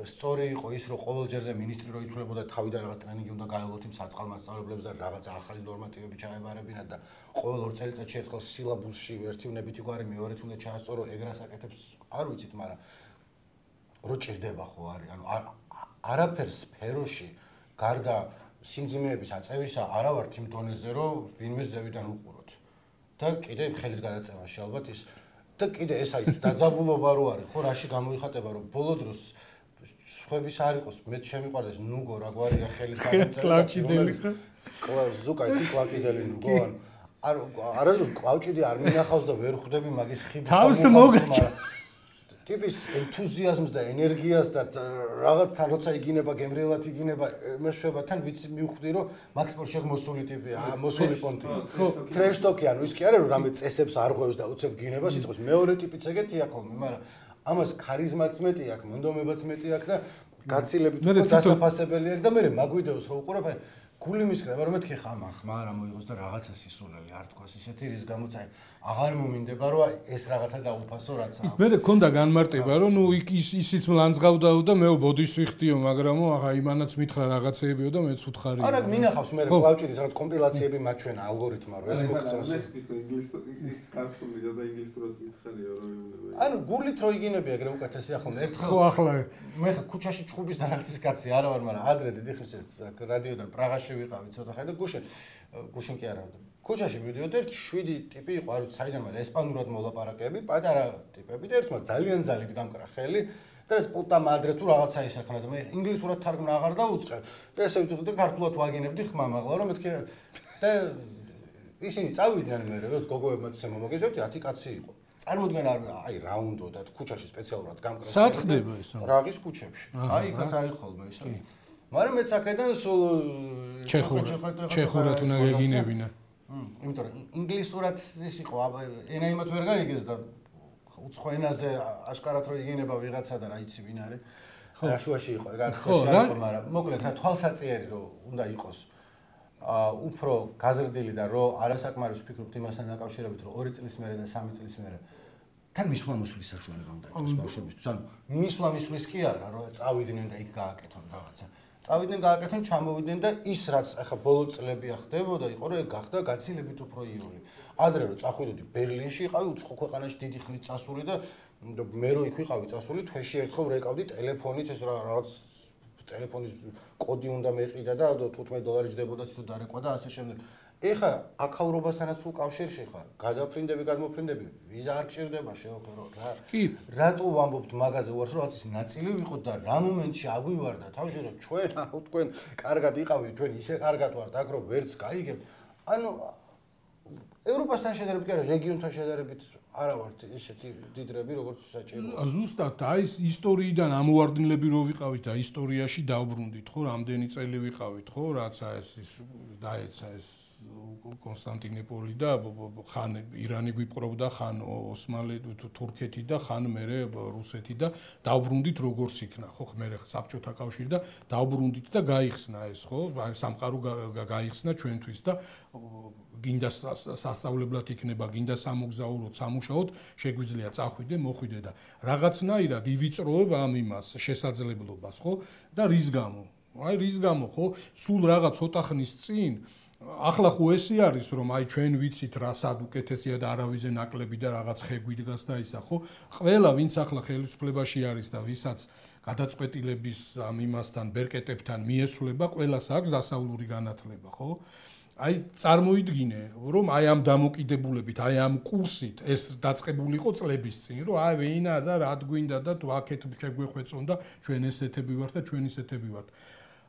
სწორი იყო ის, რომ ყოველ ჯერზე მინისტრი რო იცვლებოდა თავიდან რაღაც ტრენინგი უნდა გაევლოთ იმ საწყალ მასწავლებლებს და რაღაც ახალი ნორმატივები ჩაებარებინათ და ყოველ ორ წელიწადში ერთხელ სილაბუსში ერთი უნებითი გვარი მეორეთ უნდა ჩაასწორო, ეგრას აკეთებს, არ ვიცით, მაგრამ რო ჭირდება ხო არის, ანუ არაფერ სფეროში გარდა სიმძიმეების აწევისა არა ვართ იმ დონეზე, რომ ვინმე ზევიდან უყუროთ. და კიდე ხელის გადაწევაში ალბათ ის და კიდე ეს აი დაძაბულობა რო არის, ხო რაში გამოიხატება, რომ ბოლო დროს სხვების არ იყოს, მე შემიყვარდეს ნუგო რა გვარია ხელის გადაწევა. კლავჭიდელი ხა? ზუკა იცი კლავჭიდელი ნუგო, ანუ არ არაზუსტ კლავჭიდი არ მინახავს და ვერ ხვდები მაგის ხიბის თავს მოგაჭა. ტიპის ენთუზიაზმს და ენერგიას და რაღაცთან როცა იგინება, გემრიელად იგინება, მეშვება თან ვიცი მივხვდი, რომ მაქს პორშე მოსული ტიპია, მოსული პონტი. ტრეშტოკი, ანუ ის კი არა, რომ რამე წესებს არ ღვევს და უცებ გინება სიტყვის. მეორე ტიპიც ეგეთია ხოლმე, მაგრამ ამას ქარიზმაც მეტი აქვს, მონდომებაც მეტი აქვს და გაცილებით უფრო დასაფასებელი აქვს და მე მაგვიდეოს რო უყურებ, აი გული მისკდება, რომ მეთქი ხამა, ხმა რა მოიღოს და რაღაცა სისულელი არ თქვას ისეთი, რის გამოც აი აღარ მომინდება, რომ ეს რაღაცა დაუფასო რაც აქვს. მე მქონდა განმარტება, რომ ნუ ის ისიც მლანძღავდაო და მეო ბოდიშს ვიხდიო, მაგრამ აღა იმანაც მითხრა რაღაცეებიო და მეც უთხარი. არა, მინახავს მე კლავჭიდის რაღაც კომპილაციები მაჩვენა ალგორითმა, რომ ეს მოგწონს. ეს ის ინგლისური ქართულია და ინგლისურად მითხარია, რომ იმნება. ანუ გულით რო იგინები ეგრე უკეთესია ხოლმე ერთხელ. ხო ახლა მე ქუჩაში ჩხუბის დანახტის კაცი არა ვარ, მაგრამ ადრე დიდი ხნის რადიოდან პრაღაში ვიყავი ცოტა ხანი და გუშინ გუშინ კი არა ქუჩაში მივიდიოდი ერთ შვიდი ტიპი იყო არ ვიცი საიდან მაგრამ ესპანურად მოლაპარაკები პატარა ტიპები და ერთმა ძალიან ძალით გამკრა ხელი და ეს პუტა მადრე თუ რაღაცა ისახნა და მე ინგლისურად თარგმნა აღარ დაუწყე და ესე ვიტყვი და ქართულად ვაგინებდი ხმა მაღლა რომ მეთქი და ისინი წავიდნენ მე რა გოგოებმა ისე მომოგეძებდი ათი კაცი იყო წარმოდგენ არ აი რა უნდა და ქუჩაში სპეციალურად გამკრა სად ხდება ეს პრაღის ქუჩებში აი იქაც არის ხოლმე ისე მაგრამ მეც აქედან სულ ჩეხურად უნდა გეგინებინა იმიტომ რომ ინგლისურად ის იყო ენა იმათ ვერ გაიგეს და უცხო ენაზე აშკარად რო იგინება ვიღაცა და რა იცი ვინ არის რა შუაში იყო ეგ არ ხარ მაგრამ მოკლედ რა თვალსაწიერი რო უნდა იყოს აა უფრო გაზრდილი და რო არასაკმარის ვფიქრობთ იმასთან დაკავშირებით რომ ორი წლის მერე და სამი წლის მერე თან მისვლა-მოსვლის საშუალება უნდა იყოს ბავშვებისთვის ანუ მისვლა-მოსვლის კი არა რომ წავიდნენ და იქ გააკეთონ რაღაცა წავიდნენ გააკეთენ ჩამოვიდნენ და ის რაც ახლა ბოლო წლებია ხდებოდა იყო რომ ეგ გახდა გაცილებით უფრო იული ადრე რომ წახვიდოდი ბერლინში იყავი უცხო ქვეყანაში დიდი ხნით წასული და მე რო იქ ვიყავი წასული თვეში ერთხელ რეკავდი ტელეფონით ეს რაღაც ტელეფონის კოდი უნდა მეყიდა და თხუთმეტ დოლარი ჯდებოდა თუ დარეკვა და ასე შემდეგ ეხა აკავრობასთანაც სულ კავშირში ხარ გადაფრინდები გადმოფრინდები ვიზა არ გჭირდება შევფერო რა კი რატო ვამბობთ მაგაზე უარს რომ რაც ის ნაწილი ვიყოთ და რა მომენტში აგვივარდა თავში რომ ჩვენ აუ თქვენ კარგად იყავით თქვენ ისე კარგად ვართ აქ რომ ვერც გაიგებთ ანუ ევროპასთან შედარებით კი არა რეგიონთან შედარებით არა ვართ ისეთი დიდრები როგორც საჭიროა ზუსტად აი ეს ისტორიიდან ამოვარდნილები რო ვიყავით და ისტორიაში დავბრუნდით ხო რამდენი წელი ვიყავით ხო რაცა ეს ის დაეცა ეს კონსტანტინოპოლი და ხან ირანი გვიპყრობდა ხან ოსმალე თურქეთი და ხან მერე რუსეთი და დავბრუნდით როგორც იქნა ხო მერე საბჭოთა კავშირი და დავბრუნდით და გაიხსნა ეს ხო სამყარო გაიხსნა ჩვენთვის და გინდა სასწავლებლად იქნება გინდა სამოგზაუროდ სამუშაოდ შეგვიძლია წახვიდე მოხვიდე და რაღაცნაირად ივიწროებ ამ იმას შესაძლებლობას ხო და რის გამო აი რის გამო ხო სულ რაღაც ცოტა ხნის წინ ახლა ხო ესე არის რომ აი ჩვენ ვიცით რა სად უკეთესია და არავიზე ნაკლები და რაღაც ხეგვიდგას და ისა ხო ყველა ვინც ახლა ხელისუფლებაში არის და ვისაც გადაწყვეტილების ამ იმასთან ბერკეტებთან მიესვლება ყველას აქვს დასავლური განათლება ხო აი წარმოიდგინე რომ აი ამ დამოკიდებულებით აი ამ კურსით ეს დაწყებულიყო წლების წინ რომ აი ვინა და რა გვინდა და თუ აქეთ შეგვეხვეწონ და ჩვენ ესეთები ვართ და ჩვენ ისეთები ვართ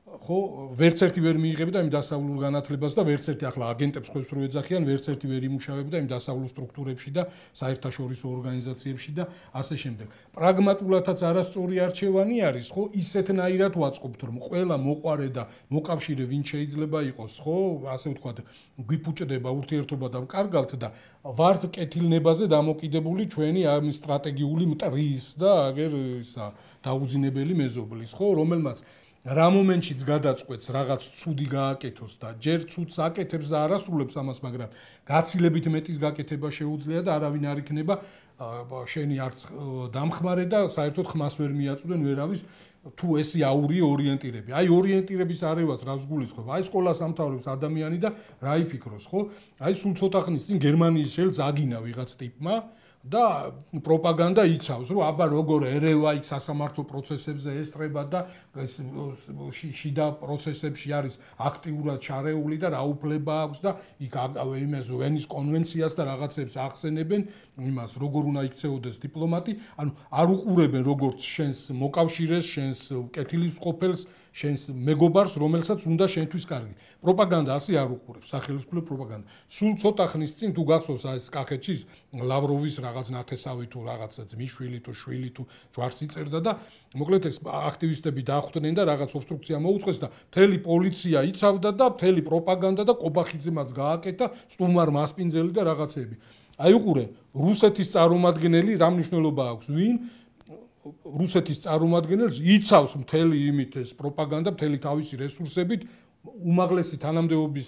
ხო ვერც ერთი ვერ მიიღებდა იმ დასავლურ განათლებას და ვერც ერთი ახლა აგენტებს ხებს რო ეძახიან ვერც ერთი ვერ იმუშავებდა იმ დასავლურ სტრუქტურებში და საერთაშორისო ორგანიზაციებში და ასე შემდეგ. პრაგმატულადაც არასწორი არჩევანი არის, ხო, ისეთნაირად ვაწყობთ, რომ ყველა მოყარე და მოკავშირე ვინ შეიძლება იყოს, ხო, ასე ვთქვათ, გვიფუჭდება ურთიერთობა და ვკარგავთ და ვართ კეთილნებაზე დამოკიდებული ჩვენი ამ სტრატეგიული მტრის და აგერ ისა დაუძინებელი მეზობლის, ხო, რომელმაც რა მომენტშიც გადაწყვეტს რაღაც ცუდი გააკეთოს და ჯერ ცუდს აკეთებს და არასრულებს ამას, მაგრამ გაცილებით მეტის გაკეთება შეუძლია და არავინ არ იქნება შენი არც დამხმარე და საერთოდ ხმას ვერ მიაწვდნენ ვერავის თუ ესი აური ორიენტირები. აი ორიენტირების არევას რას გულისხმობ? აი სკოლას ამთავრებს ადამიანი და რა იფიქროს, ხო? აი სულ ცოტა ხნის წინ გერმანიის შელს აგინა ვიღაც ტიპმა და პროპაგანდა იცავს, რომ აბა როგორ ერევა იქ სასამართლო პროცესებზე ესწრება და შიდა პროცესებში არის აქტიურად ჩარეული და რა უფლება აქვს და იქ იმას ვენის კონვენციას და რაღაცებს ახსენებენ იმას, როგორ უნდა იქცეოდეს დიპლომატი, ანუ არ უყურებენ როგორც შენს მოკავშირეს, შენს კეთილის ყოფილს, შენს მეგობარს, რომელსაც უნდა შენთვის კარგი. პროპაგანდა ასე არ უყურებს, სახელმწიფო პროპაგანდა. სულ ცოტა ხნის წინ თუ გახსოვს ეს კახეთში ლავროვის რაღაც ნათესავი თუ რაღაცა ძმისშვილი თუ შვილი თუ ჯვარცი წერდა და მოკლედ ეს აქტივისტები დახვდნენ და რაღაც ობსტრუქცია მოუწყეს და მთელი პოლიცია იცავდა და მთელი პროპაგანდა და ყობახიძემაც გააკეთა სტუმარ მასპინძელი და რაღაცები. აი უყურე, რუსეთის წარმომადგენელი რა მნიშვნელობა აქვს ვინ? რუსეთის წარმომადგენელს იცავს მთელი იმით ეს პროპაგანდა, მთელი თავისი რესურსებით, უმაღლესი თანამდებობის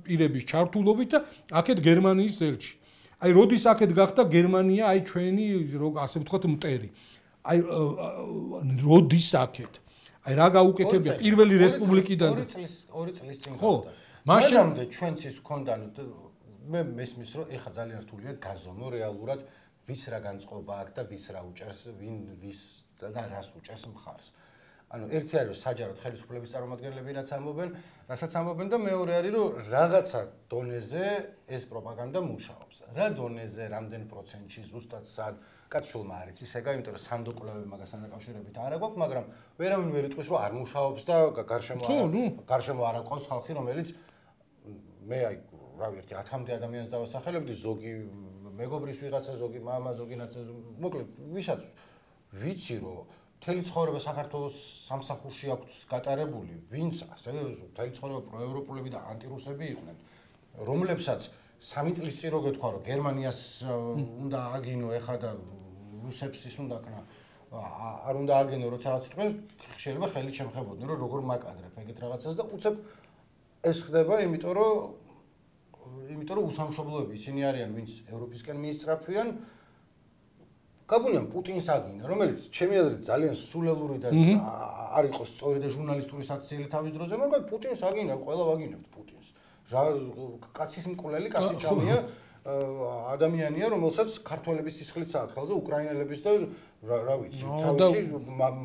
პირების ჩართულობით და აქეთ გერმანიის ელჩი. აი როდის აქეთ გახდა გერმანია, აი ჩვენი ასე ვთქვათ მტერი. აი როდის აქეთ? აი რა გაუკეთებია პირველი რესპუბლიკიდან ორი წლის ორი წლის წინ ხო, მაშინამდე ჩვენც ის ჰქონდა მე მესმის რომ ეხა ძალიან რთულია გაზომო რეალურად ვის რა განწყობა აქვს და ვის რა უჭერს, ვინ ვის და რას უჭერს მხარს. ანუ ერთი არის რომ საჯაროდ ხელისუფლების წარმომადგენლები რაც ამბობენ, რასაც ამბობენ და მეორე არის რომ რაღაცა დონეზე ეს პროპაგანდა მუშაობს. რა დონეზე, რამდენ პროცენტში ზუსტად სად კაცშულმა არ იცის ეგა, იმიტომ რომ სანდო კვლევები მაგასთან დაკავშირებით არ აქვს, მაგრამ ვერავინ ვერ იტყვის რომ არ მუშაობს და გარშემო გარშემო არ აყავს ხალხი, რომელიც მე აი რავი ერთი ათამდე ადამიანს დავასახელებდი, ზოგი მეგობრის ვიღაცა, ზოგი მამა, ზოგი ნაცა, მოკლედ ვისაც ვიცი რომ მთელი ცხოვრება საქართველოს სამსახურში აქვს გატარებული, ვინც ასე მთელი ცხოვრება პროევროპულები და ანტირუსები იყვნენ, რომლებსაც სამი წლის წინ რო გეთქვა რომ გერმანიას უნდა აგინო ეხა და რუსებს ის უნდა ქნა არ უნდა აგინო როცა რაღაც თქვენ შეიძლება ხელი შემხებოდნენ რომ როგორ მაკადრებ ეგეთ რაღაცას და უცებ ეს ხდება იმიტომ რომ იმიტომ რომ უსამშობლოები ისინი არიან ვინც ევროპისკენ მიისწრაფვიან გაბუნიან პუტინს აგინა რომელიც ჩემი აზრით ძალიან სულელური და არ იყოს სწორი და ჟურნალისტური საქციელი თავის დროზე მაგრამ პუტინს აგინა ყველა ვაგინებთ პუტინს რა კაცის მკვლელი კაცი ჭამია ადამიანია რომელსაც ქართველების სისხლიც აქვს ხელზე უკრაინელების და რა ვიცი თავისი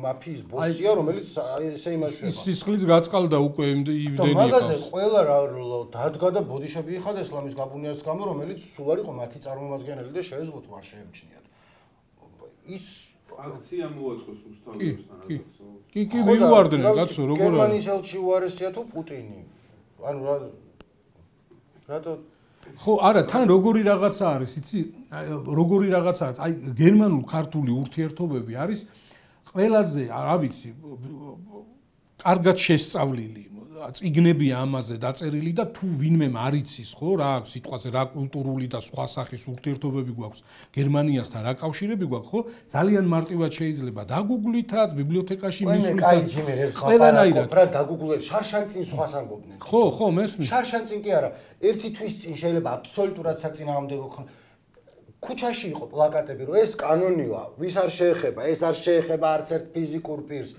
მაფიის ბოსია რომელიც ესე იმაშება სისხლიც გაწყალდა უკვე იმდენი და მაგაზე ყველა რა დადგა და ბოდიშები იხადა ესლამის გაბუნიას გამო რომელიც სულ არ იყო მათი წარმომადგენელი და შეეძლოთ მას შეემჩნიათ ის აქცია მოაწყოს რუსთავისთან რაღაცა კი კი მივარდნენ კაცო როგორ არის გერმანიის ელჩი უარესია თუ პუტინი ანუ რა რატო ხო არა თან როგორი რაღაცა არის იცი როგორი რაღაცა არის აი გერმანულ ქართული ურთიერთობები არის ყველაზე რა ვიცი კარგად შესწავლილი წიგნებია ამაზე დაწერილი და თუ ვინმე არ იცის ხო რა აქვს სიტყვაზე რა კულტურული და სხვა სახის ურთიერთობები გვაქვს გერმანიასთან რა კავშირები გვაქვს ხო ძალიან მარტივად შეიძლება დაგუგლითაც ბიბლიოთეკაში მისვლითაც ყველანაირად რა დაგუგლეთ შარშანწინ სხვას ამბობდნენ ხო ხო მესმის შარშანწინ კი არა ერთი თვის წინ შეიძლება აბსოლუტურად საწინააღმდეგო ქუჩაში იყო პლაკატები რომ ეს კანონია ვის არ შეეხება ეს არ შეეხება არც ერთ ფიზიკურ პირს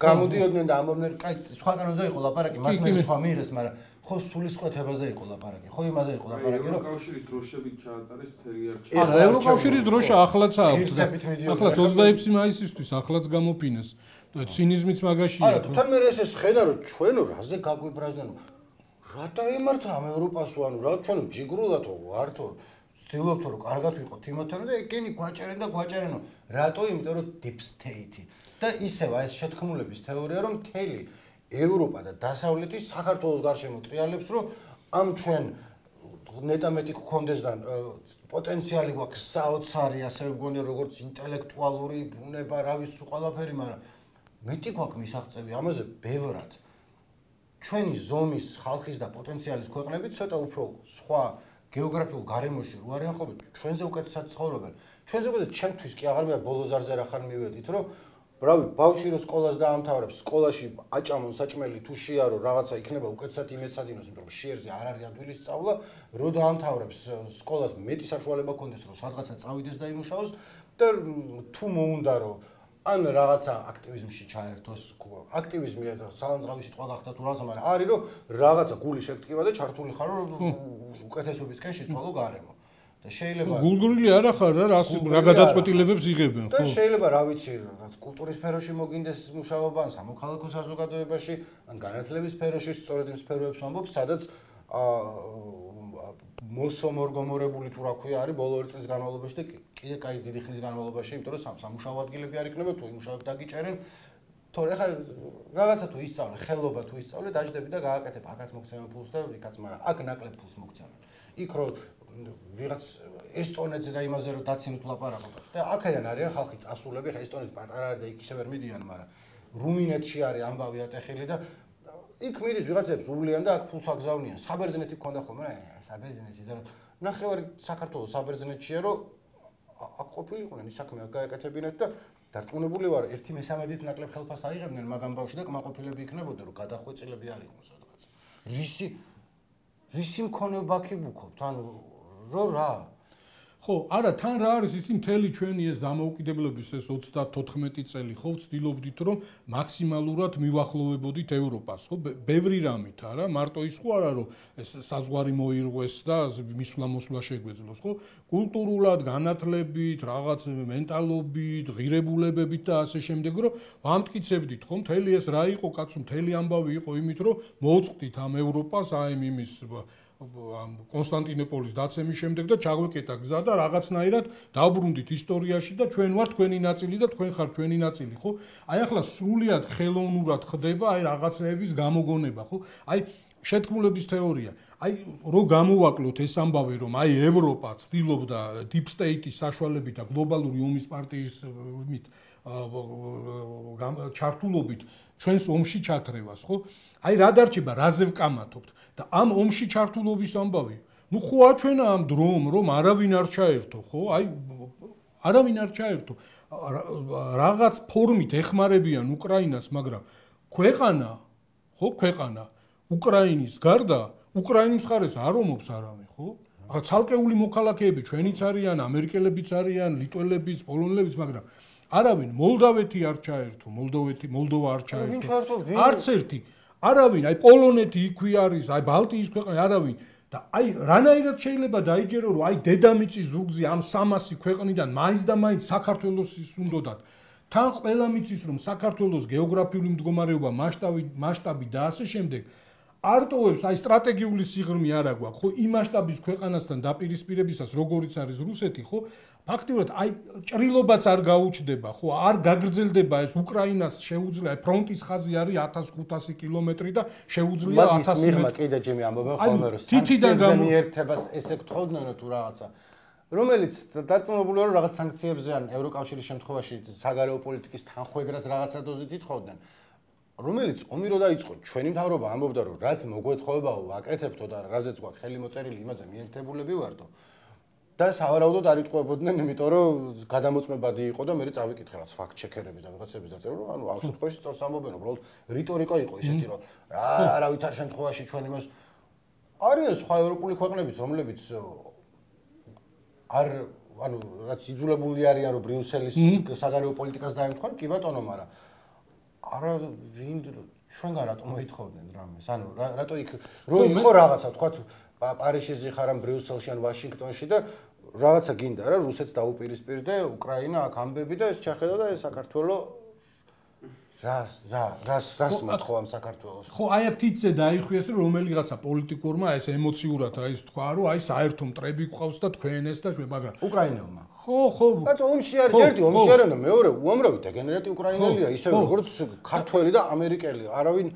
გამოდიოდნენ და ამბობდნენ კაი სხვა კანონზე იყო ლაპარაკი მას მე სხვა მიიღეს მაგრამ ხო სულისკვეთებაზე იყო ლაპარაკი ხო იმაზე იყო ლაპარაკი რომ ევროკავშირის დროშებით ჩაატარეს მთელი არჩევანი არა ევროკავშირის დროშა ახლაც აქვს ახლაც ოცდაექვსი მაისისთვის ახლაც გამოფინეს ცინიზმიც მაგაშია არა თან მე ეს ხედა რომ ჩვენო რაზე გაგვიბრაზდნენ რა დაემართა ამ ევროპასო ანუ რა ჩვენო ჯიგრულათო ვართო ვცდილობთ რომ კარგად ვიყოთ იმათთან და ეგენი გვაჭერენ და გვაჭერენო რატო იმიტომ რომ deep state და ისევ ეს შეთქმულების თეორია რომ მთელი ევროპა და დასავლეთი საქართველოს გარშემო ტრიალებს, რომ ამ ჩვენ ნეტამეტი გქონდეს და პოტენციალი გვაქვს საოცარი, ასევე მგონია როგორც ინტელექტუალური ბუნება, რა ვიცი ყველაფერი, მაგრამ მეტი გვაქვს მისაღწევი ამაზე ბევრად. ჩვენი ზომის ხალხის და პოტენციალის ქვეყნები ცოტა უფრო სხვა გეოგრაფიულ გარემოში რო არიან ხოლმე, ჩვენზე უკეთესად ცხოვრობენ. ჩვენზე უკეთეს ჩემთვის კი აღარ მივარ ბოლოზარზე რა ხარ მივედით, რომ ბრავი, ბავშვი რო სკოლას დაამთავრებს, სკოლაში აჭამონ საჭმელი თუ შეარო რაღაცა იქნება უკეთესად იმეცადინოს, იმიტომ რომ შეერზე არ არის ადვილი სწავლა, რო დაამთავრებს სკოლას მეტი საშუალება ქონდეს, რომ სადღაცა წავიდეს და იმუშაოს და თუ მოუნდა რომ ან რაღაცა აქტივიზმში ჩაერთოს, აქტივიზმი სალანძღავი სიტყვა გახდა თუ რაღაცა, მაგრამ არის რომ რაღაცა გული შეგტკივა და ჩართული ხარ რომ უკეთესობისკენ შეცვალო გარემო. და შეიძლება გულგრილი არა ხარ რა რა გადაწყვეტილებებს იღებენ, ხო? და შეიძლება რა ვიცი, რაც კულტურის სფეროში მოგინდეს მუშაობა, ან სამოქალაქო საზოგადოებაში, ან განათლების სფეროში, სწორედ იმ სფეროებს ვამბობ, სადაც მოსომორგომორებული თუ რა ქვია არის ბოლო ორი წლის განმავლობაში და კიდე კაი დიდი ხნის განმავლობაში, იმიტომ რომ სამუშაო ადგილები არ იქნება, თუ იმუშავებ დაგიჭერენ, თორე ხა რაღაცა თუ ისწავლე, ხელობა თუ ისწავლე, დაждები და გააკეთებ, აქაც მოგცემენ ფულს და იქაც, მაგრამ აქ ნაკლებ ფულს მოგცემენ. იქ რო ვიღაც ესტონეთზე და იმაზე რომ დაცინოთ ლაპარაკობ და აქედან არიან ხალხი წასულები, ხა ესტონეთი პატარა არის და იქ ისე ვერ მიდიან, მაგრამ რუმინეთში არის ამბავი ატეხილი და იქ მიდის ვიღაცებს უვლიან და აქ ფულს აგზავნიან. საბერძნეთი გქონდა ხოლმე, რა, საბერძნეთი და ნახევარი საქართველოს საბერძნეთშია, რომ აქ ყოფილიყვნენ, ის საქმე გაეკეთებინათ და დარწმუნებული ვარ, ერთი მესამედით ნაკლებ ხელფას აიღებდნენ მაგ ამბავში და კმაყოფილები იქნებოდნენ, რომ გადახვეწილები არ იყვნენ სადღაც. რისი რისი მქონება აქ ვუქობთ, ანუ რო რა ხო, არა, თან რა არის ისი მთელი ჩვენი ეს დამოუკიდებლობის ეს ოცდათოთხმეტი წელი, ხო, ვცდილობდით რომ მაქსიმალურად მივახლოვებოდით ევროპას, ხო, ბევრი რამით არა, მარტო ის ხო არა რომ ეს საზღვარი მოირღვეს და მისვლა-მოსვლა შეგვეძლოს, ხო? კულტურულად, განათლებით, რაღაც მენტალობით, ღირებულებებით და ასე შემდეგ, რომ ვამტკიცებდით, ხო, მთელი ეს რა იყო, კაცო, მთელი ამბავი იყო იმით, რომ მოუწყდით ამ ევროპას, აი იმის კონსტანტინოპოლის დაცემის შემდეგ და ჩაგვეკეთა გზა და რაღაცნაირად დავბრუნდით ისტორიაში და ჩვენ ვართ თქვენი ნაწილი და თქვენ ხართ ჩვენი ნაწილი, ხო? აი ახლა სრულიად ხელოვნურად ხდება აი რაღაცნაირების გამოგონება, ხო? აი შეთქმულების თეორია. აი რო გამოვაკლოთ ეს ამბავი, რომ აი ევროპა ცდილობდა deep state-ის საშუალებით და გლობალური ომის პარტიის მით ჩართულობით ჩვენს ომში ჩათრევას, ხო? აი რა დარჩება, რაზე ვკამათობთ და ამ ომში ჩართულობის ამბავი. ნუ ხო აჩვენა ამ დრომ, რომ არავინ არ ჩაერთო, ხო? აი არავინ არ ჩაერთო. რაღაც ფორმით ეხმარებიან უკრაინას, მაგრამ ქვეყანა, ხო, ქვეყანა უკრაინის გარდა უკრაინის მხარეს არ ომობს არავინ, ხო? ახლა ცალკეული მოქალაქეები ჩვენიც არიან, ამერიკელებიც არიან, ლიტველებიც, პოლონელებიც, მაგრამ არავინ მოლდავეთი არ ჩაერთო, მოლდოვეთი, მოლდოვა არ ჩაერთო. არც ერთი. არავინ, აი პოლონეთი იქვე არის, აი ბალტიის ქვეყნები არავინ და აი რანაირად შეიძლება დაიჯერო, რომ აი დედამიწის ზურგზე ამ სამასი ქვეყნიდან მაინც და მაინც საქართველოსის უნდათ. თან ყველა მიცის, რომ საქართველოს გეოგრაფიული მდგომარეობა, მასშტაბი, მასშტაბი და ასე შემდეგ არტოვებს აი სტრატეგიული სიღრმე არა გვაქვს, ხო, იმ მასშტაბის ქვეყანასთან დაპირისპირებისას, როგორიც არის რუსეთი, ხო? ფაქტიურად აი ჭრილობაც არ გაუჩნდება, ხო, არ გაგრძელდება ეს უკრაინას შეუძლია ფრონტის ხაზი არის ათას ხუთასი კილომეტრი და შეუძლია ათასი მიღმა კიდე ჯემი ამბობენ ხოლმე რომ სანქციებზე მიერთებას ესე გთხოვდნენ თუ რაღაცა რომელიც დარწმუნებული ვარ რომ რაღაც სანქციებზე ან ევროკავშირის შემთხვევაში საგარეო პოლიტიკის თანხმედრას რაღაცა დოზით ითხოვდნენ რომელიც ომი რო დაიწყო ჩვენი მთავრობა ამბობდა რომ რაც მოგვეთხოვებაო ვაკეთებთო და რაზეც გვაქვს ხელი მოწერილი იმაზე მიერთებულები ვარდო და სავარაუდოდ არ იტყუებოდნენ, იმიტომ რომ გადამოწმებადი იყო და მე წავიკითხე რაც ფაქტ ჩეკერების და ვიღაცების დაწერა, რომ ანუ ამ შემთხვევაში სწორს ამბობენ, უბრალოდ რიტორიკა იყო ისეთი, რომ არავითარ შემთხვევაში ჩვენ იმას არიან სხვა ევროპული ქვეყნებიც, რომლებიც არ ანუ რაც იძულებული არიან, რომ ბრიუსელის საგარეო პოლიტიკას დაემთხვა, კი ბატონო, მაგრამ არა ვინ ჩვენგან რატომ მოითხოვდნენ რამეს? ანუ რატო იქ რო იყო რაღაცა, თქვა პარიზში ხარ ან ბრიუსელში ან ვაშინგტონში და რაღაცა გინდა რა რუსეთს დაუპირისპირდა უკრაინა აქ ამბები და ეს ჩახედა და ეს საქართველო რას რა რას რას მოთხოვ ამ საქართველოს ხო აი აქ თითზე დაიხიეს რომ რომელიღაცა პოლიტიკურმა ეს ემოციურად აი ეს თქვა რომ აი საერთო მტრები გყავს და თქვენ ეს და ჩვენ მაგრამ უკრაინელმა ხო ხო ბაცო ომში არის ერთი ომში არის და მეორე უამრავი დეგენერატი უკრაინელია ისე როგორც ქართველი და ამერიკელი არავინ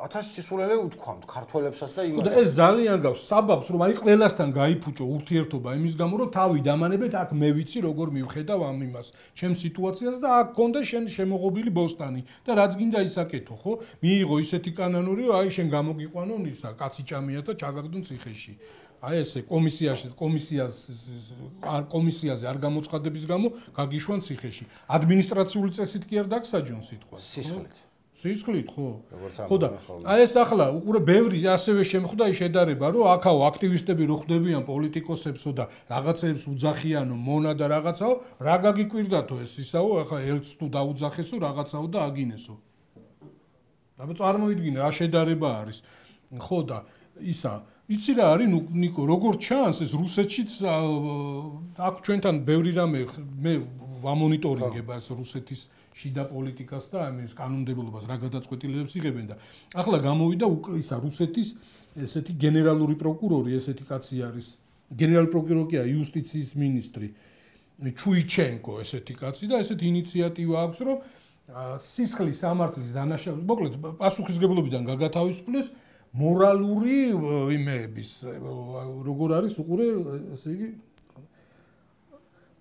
ათას სისულელე უთქვამთ ქართველებსაც და იმას. ხო და ეს ძალიან გავს საბაბს რომ აი ყველასთან გაიფუჭო ურთიერთობა იმის გამო რომ თავი დამანებეთ აქ მე ვიცი როგორ მივხედავ ამ იმას ჩემ სიტუაციას და აქ გქონდა შენ შემოღობილი ბოსტანი და რაც გინდა ისაკეთო ხო მიიღო ისეთი კანონური რომ აი შენ გამოგიყვანო ისა კაცი ჭამია და ჩაგაგდონ ციხეში აი ესე კომისიაში კომისიას არ კომისიაზე არ გამოცხადების გამო გაგიშვან ციხეში ადმინისტრაციული წესით კი არ დაგსაჯონ სიტყვა სისხლით სისხლით ხო ხო და აი ეს ახლა უყურე ბევრი ასევე შემხვდა ის შედარება რომ აქაო აქტივისტები რო ხდებიან პოლიტიკოსებსო და რაღაცებს უძახიანო მონა და რაღაცაო რა გაგიკვირდათო ეს ისაო ახლა ელც თუ დაუძახესო რაღაცაო და აგინესო აბა წარმოიდგინე რა შედარება არის ხო და ისა იცი რა არის ნიკო როგორ ჩანს ეს რუსეთშიც აქ ჩვენთან ბევრი რამე მე ვამონიტორინგება ეს რუსეთის შიდა პოლიტიკას და ამის კანონმდებლობას რა გადაწყვეტილებებს იღებენ და ახლა გამოვიდა ისა რუსეთის ესეთი გენერალური პროკურორი ესეთი კაცი არის გენერალური პროკურორია იუსტიციის მინისტრი ჩუიჩენკო ესეთი კაცი და ესეთი ინიციატივა აქვს რომ სისხლის სამართლის დანაშაულს მოკლედ პასუხისგებლობიდან გაგათავისუფლეს მორალური იმეების როგორ არის უყურე ესე იგი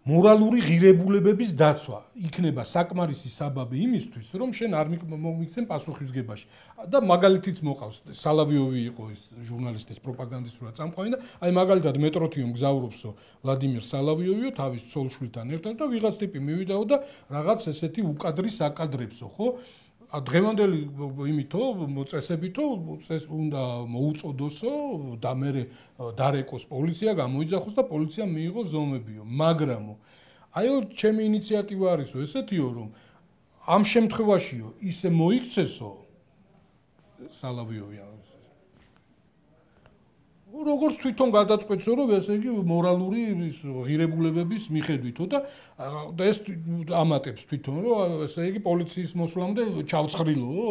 მორალური ღირებულებების დაცვა იქნება საკმარისი საბაბი იმისთვის რომ შენ არ მოგიქცენ პასუხისგებაში და მაგალითიც მოყავს სალავიოვი იყო ეს ჟურნალისტის პროპაგანდისტურად წამყვანი და აი მაგალითად მეტროთიომ გზავრობსო ვლადიმერ სალავიოვიო თავის ცოლშვილთან ერთად და ვიღაც ტიპი მივიდაო და რაღაც ესეთი უკადრი საკადრებსო ხო დღევანდელი იმითო წესებითო წეს უნდა მოუწოდოსო და მე დარეკოს პოლიცია გამოიძახოს და პოლიცია მიიღო ზომებიო მაგრამ აიო ჩემი ინიციატივა არისო ესეთიო რომ ამ შემთხვევაშიო ისე მოიქცესო სალავიოვი როგორც თვითონ გადაწყვეტსო რომ ესე იგი მორალური ღირებულებების მიხედვითო და ეს ამატებს თვითონ რომ ესე იგი პოლიციის მოსვლამდე ჩავცხრილო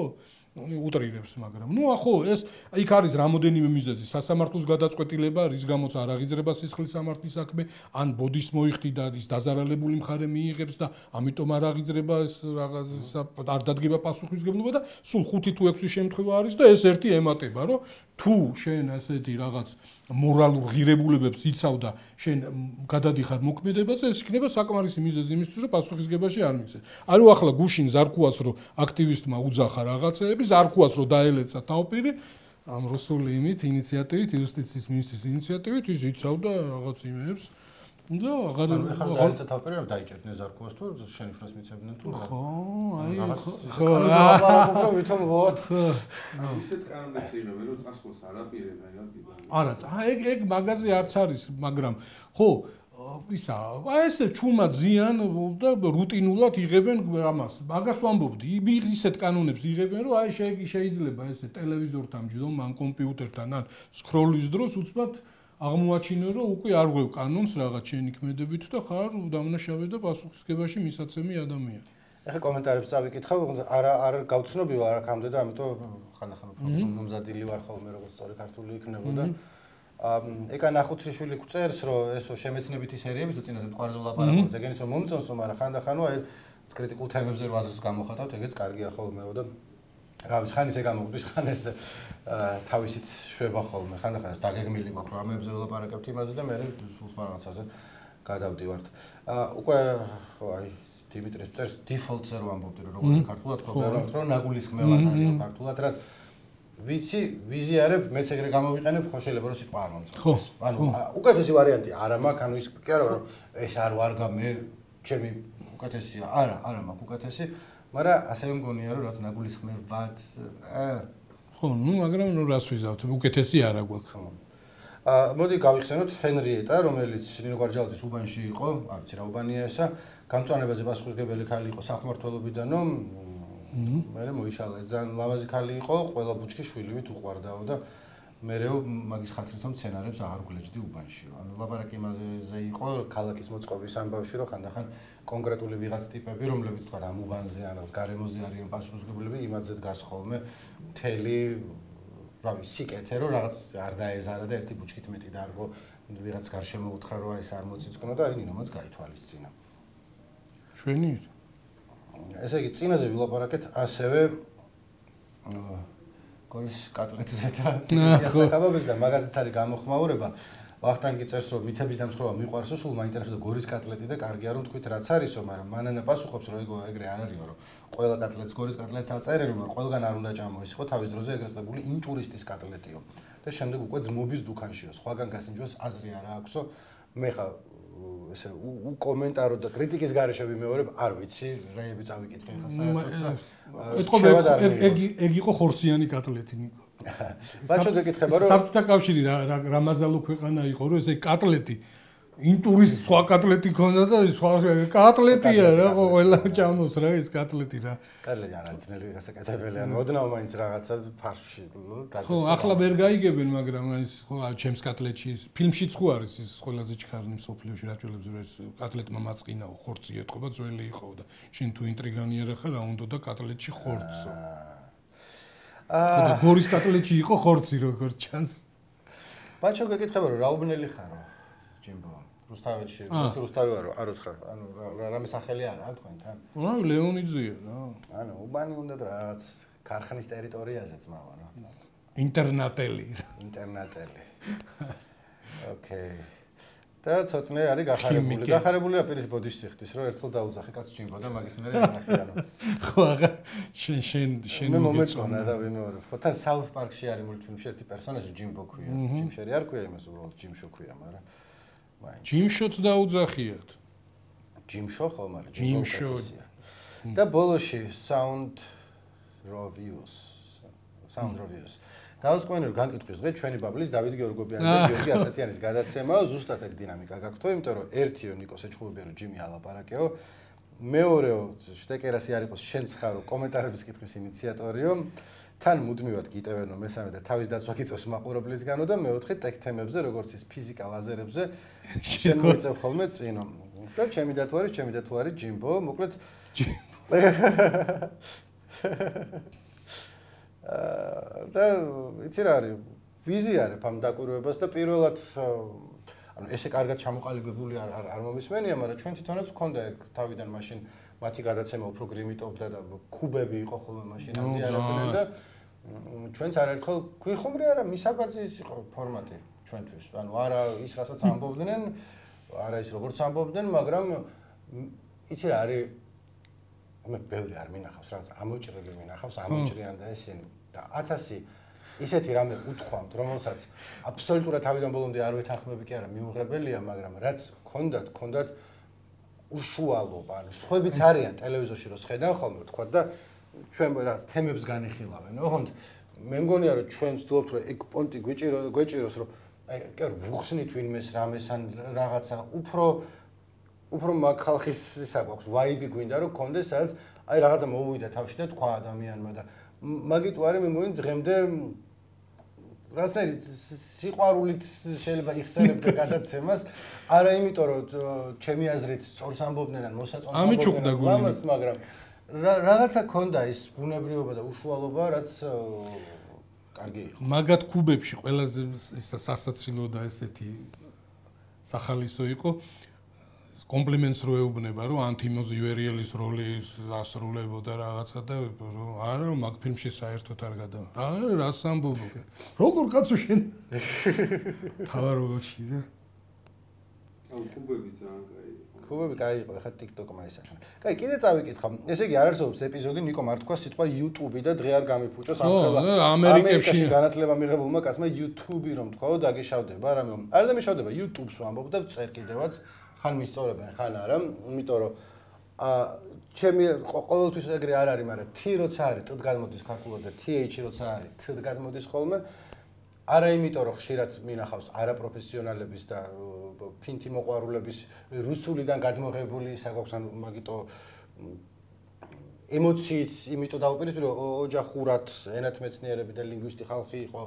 უტრირებს მაგრამ ნუ ახო ეს იქ არის რამოდენიმე მიზეზი სასამართლოს გადაწყვეტილება რის გამოც არ აღიძრება სისხლის სამართლის საქმე ან ბოდის მოიხდი და ის დაზარალებული მხარე მიიღებს და ამიტომ არ აღიძრება ეს რაღაც არ დადგება პასუხისგებლობა და სულ ხუთი თუ ექვსი შემთხვევა არის და ეს ერთი ემატება რომ თუ შენ ასეთი რაღაც მორალურ ღირებულებებს იცავ და შენ გადადიხარ მოქმედებაზე ეს იქნება საკმარისი მიზეზი იმისთვის რომ პასუხისგებაში არ მიქცე ანუ ახლა გუშინ ზარქუას რომ აქტივისტმა უძახა რაღაცეები ზარქუას რომ დაელეცა თავპირი ამ რუსული იმით ინიციატივით იუსტიციის მინისტრის ინიციატივით ის იცავდა რაღაც იმებს და აღარ აღარ თავპირი რომ დაიჭერდნენ ზარქუას თუ შენიშვნას მიცემდნენ თუ ხო აი ხო აბა ვითომ ვოთ ისეთ კანონებს იღებენ რომ წასვლას არ აპირებენ არა ეგ ეგ მაგაზე არც არის მაგრამ ხო ისა აი ესე ჩუმა ზიან და რუტინულად იღებენ ამას მაგას ვამბობდი ისეთ კანონებს იღებენ რომ აი შეიძლება ესე ტელევიზორთან ჯდომ ან კომპიუტერთან ან სკროლის დროს უცბად აღმოაჩინო რომ უკვე არ ღვევ კანონს რაღაც შენი ქმედებით და ხარ დამნაშავე და პასუხისგებაში მისაცემი ადამიანი ეხა კომენტარებს წავიკითხავ არა არ გავცნობიო არ აქამდე და ამიტომ ხანდახან მომზადილი ვარ ხოლმე როგორც სწორი ქართული იქნებოდა ეკა ნახუცრიშვილი გვწერს რომ ესო შემეცნებითი სერიები თუ წინაზე მყარზე ვლაპარაკობთ ეგენიც რომ მომწონსო მაგრამ ხანდახანო აი კრიტიკულ თემებზე რო აზრს გამოხატავთ ეგეც კარგია ხოლმეო და რა ვიცი ხან ისე გამოგვდის ხან ეს თავისით შვება ხოლმე ხანდახან ეს დაგეგმილი მაქვს რომ ამებზე ვლაპარაკებთ იმაზე და მე სულ სხვა რაღაცაზე გადავდივართ უკვე ხო აი დიმიტრის წერს დიფოლტზე რო ამბობდი რომ როგორ ქართულად ხო ვერავთ რომ ნაგულისხმევად არის ქართულად რაც ვიცი ვიზიარებ მეც ეგრე გამოვიყენებ ხო შეიძლება რომ სიტყვა არ მომწონს ანუ უკეთესი ვარიანტი არა მაქვს ანუ ის კი არა რომ ეს არ ვარ მე ჩემი უკეთესია არა არა მაქვს უკეთესი მაგრამ ასევე მგონია რომ რაც ნაგულისხმევად ხო ნუ მაგრამ ნუ რას ვიზავთ უკეთესი არა გვაქვს აა მოდი გავიხსენოთ ჰენრიეტა რომელიც ნინო გვარჯალაძის უბანში იყო არ ვიცი რა უბანია ესა გამწვანებაზე პასუხისმგებელი ქალი იყო სახმართველობიდანო მე მოიშალა ეს ძალიან ლამაზი ქალი იყო ყველა ბუჩქი შვილივით უყვარდაო და მერეო მაგის ხათრით რომ სცენარებს აღარ გლეჯდი უბანშიო ანუ ლაპარაკი იმაზე იყო ქალაქის მოწყობის ამბავში რომ ხანდახან კონკრეტული ვიღაც ტიპები რომლებიც თქვა ამ უბანზე ან რაღაც გარემოზე არიან პასუხისმგებლები იმაზე დგას ხოლმე მთელი რა ვიცი სიკეთე რომ რაღაც არ დაეზარა და ერთი ბუჩქით მეტი დარგო ვიღაც გარშემო უთხრა რომ ეს არ მოწიწკნო და აი ნინომაც გაითვალისწინა შვენიერ ესე იგი წინაზე ვილაპარაკეთ ასევე გორის კატლეტს ვეთრა და მაგაზეც არის გამოხმაურება ვახტანგი წერს რომ მითების დამსხვრევა მიყვარსო სულ მაინტერესებდა გორის კატლეტი და კარგია რომ თქვით რაც არისო მაგრამ მანანა პასუხობს რომ ეგ ეგრე არ არისო რომ ყველა კატლეტს გორის კატლეტს აწერენ რომ ყველგან არ უნდა ჭამო ის ხო თავის დროზე ეგრეთ წებული იმ ტურისტის კატლეტიო და შემდეგ უკვე ძმობის დუქანშიო სხვაგან გასინჯოს აზრი არა აქვსო მე ხა ესე უკომენტარო და კრიტიკის გარეშე ვიმეორებ არ ვიცი რეები წავიკითხე ხა საერთოდ ეთქობა ეგ ეგ იყო ხორციანი კატლეტი ნიკო ბაჭო გეკითხება რომ საბჭოთა კავშირი რა მაზალო ქვეყანა იყო რომ ესე კატლეტი ინტურის სხვა კატლეტი ქონდა და სხვა კატლეტია რა ყველა ჭამოს რა ეს კატლეტი რა კატლეტი არ არის ძნელი გასაკეთებელი ანუ ოდნავ მაინც რაღაცა ფარში ხო ახლა ვერ გაიგებენ მაგრამ ის ხო ჩემს კატლეტში ფილმშიც ხო არის ის ყველაზე ჩქარნი მსოფლიოში რაჭველებს რომ ეს კატლეტმა მაწყინაო ხორცი ეთყობა ძველი იყო და შენ თუ ინტრიგანიერი ხარ რა უნდა და კატლეტში ხორცო აა გორის კატლეტში იყო ხორცი როგორ ჩანს ბაჭო გეკითხება რომ რა უბნელი ხარო ჯიმბო რუსთავეთში რუსთავი ვარო არ ვთქარ ანუ რამე სახელი არა აქ თქვენთან რა ლეონიძეა რა ანუ უბანი უნდა რაღაც ქარხნის ტერიტორიაზე ძმავა რა ინტერნატელი ინტერნატელი ოკეი და ცოტნე არის გახარებული გახარებული რა პირის ბოდიში ხდის რომ ერთხელ დაუძახე კაც ჯიმბო და მაგის მერე ეძახი ანუ ხო აღა შენ შენ შენ მე მომეწონა და ვიმეორებ ხო თან საუთ პარკში არის მულტფილმში ერთი პერსონაჟი ჯიმბო ქვია ჯიმშერი არ ქვია იმას უბრალოდ ჯიმშო ქვია მაგრამ ჯიმშოც დაუძახიათ ჯიმშო ხო მაგრამ ჯიმშო და ბოლოში sound reviews sound reviews დავსკვენებ განკითხვის დღე ჩვენი ბაბლის დავით გეორგობიანი და გიორგი ასათიანის გადაცემაა ზუსტად ეგ დინამიკა გაქვთ იმიტომ რომ ერთიო ნიკოს ეჩხუბებია რომ ჯიმი ალაპარაკეო მეორეო შტეკერასი არ იყოს შენც ხარო კომენტარების კითხვის ინიციატორიო თან მუდმივად გიტევენო მესამე და თავის დაცვა გიწევს მაყურებლისგანო და მეოთხე ტექთემებზე როგორც ის ფიზიკა ლაზერებზე შენ მოიწევ ხოლმე წინო და ჩემი და თუ არის ჩემი და თუ არის ჯიმბო მოკლედ და იცი რა არის ვიზიარებ ამ დაკვირვებას და პირველად ანუ ესე კარგად ჩამოყალიბებული არ არ მომისმენია მაგრამ ჩვენ თვითონაც ვქონდა ეგ თავიდან მაშინ მათი გადაცემა უფრო გრიმიტობდა და ქუბები იყო ხოლმე მაშინ აზიარებდნენ და ჩვენც არაერთხელ გვიხუმრე არა მისაბაძის იყო ფორმატი ჩვენთვის ანუ არა ის რასაც ამბობდნენ არა ის როგორც ამბობდნენ მაგრამ იცი რა არის მე ბევრი არ მინახავს რაღაც ამოჭრილი მინახავს ამოჭრიან და ესენი და ათასი ისეთი რამე უთქვამთ რომელსაც აბსოლუტურად თავიდან ბოლომდე არ ვეთანხმები კი არა მიუღებელია მაგრამ რაც ქონდათ ქონდათ უშუალობა ანუ სხვებიც არიან ტელევიზორში რო შედან ხოლმე თქვა და ჩვენ რაღაც თემებს განიხილავენ ოღონდ მე მგონია რომ ჩვენ ვცდილობთ რომ ეგ პონტი გვეჭირო გვეჭიროს რომ აი კი არ ვუხსნით ვინმეს რამეს ან რაღაცა უფრო უფრო მაგ ხალხის ისა გვაქვს ვაიბი გვინდა რომ კონდეს სადაც აი რაღაცა მოუვიდა თავში და თქვა ადამიანმა და მაგით ვარი მე მგონი დღემდე რასაც სიყვარულით შეიძლება იხსენებდე გადაცემას არა იმიტომ რომ ჩემი აზრით სწორს ამბობდნენ ან მოსაწონს ამბობდნენ მაგრამ რაღაცა ქონდა ის ბუნებრივობა და უშუალობა რაც კარგი იყო მაგათ ქუბებში ყველაზე სასაცილო და ესეთი სახალისო იყო კომპლიმენტს რო ეუბნება რომ ანთიმოზ ივერიელის როლი ასრულებოდა რაღაცა და რომ არა მაგ ფილმში საერთოდ არ გადა არა რას ამბობ როგორ კაცო შენ თავაროში და აუ ქუბები ძალიან კაი ქუბები კაი იყო ხა TikTok-მა ისახა კაი კიდე წავიკითხავ ესე იგი არ არსებობს ეპიზოდი ნიკო არ თქვა სიტყვა YouTube და დღე არ გამიფუჭოს ამხელა ამერიკაში განათლება მიღებულმა კაცმა YouTube-ი რომ თქვაო დაგეშავდება რამე არ დამეშავდება YouTube-ს ვამბობ და წერ კიდევაც ხან მისწორებენ ხან არა იმიტომ რომ ა ჩემი ყოველთვის ეგრე არ არის მაგრამ T როცა არის T გადმოდის ქართულად და T H როცა არის T გადმოდის ხოლმე არა იმიტომ რომ ხშირად მინახავს არაპროფესიონალების და ფინთი მოყვარულების რუსულიდან გადმოღებული ისა გვაქვს ან მაგიტო ემოციით იმიტომ დავუპირისპირო ოჯახურად ენათმეცნიერები და ლინგვისტი ხალხი იყო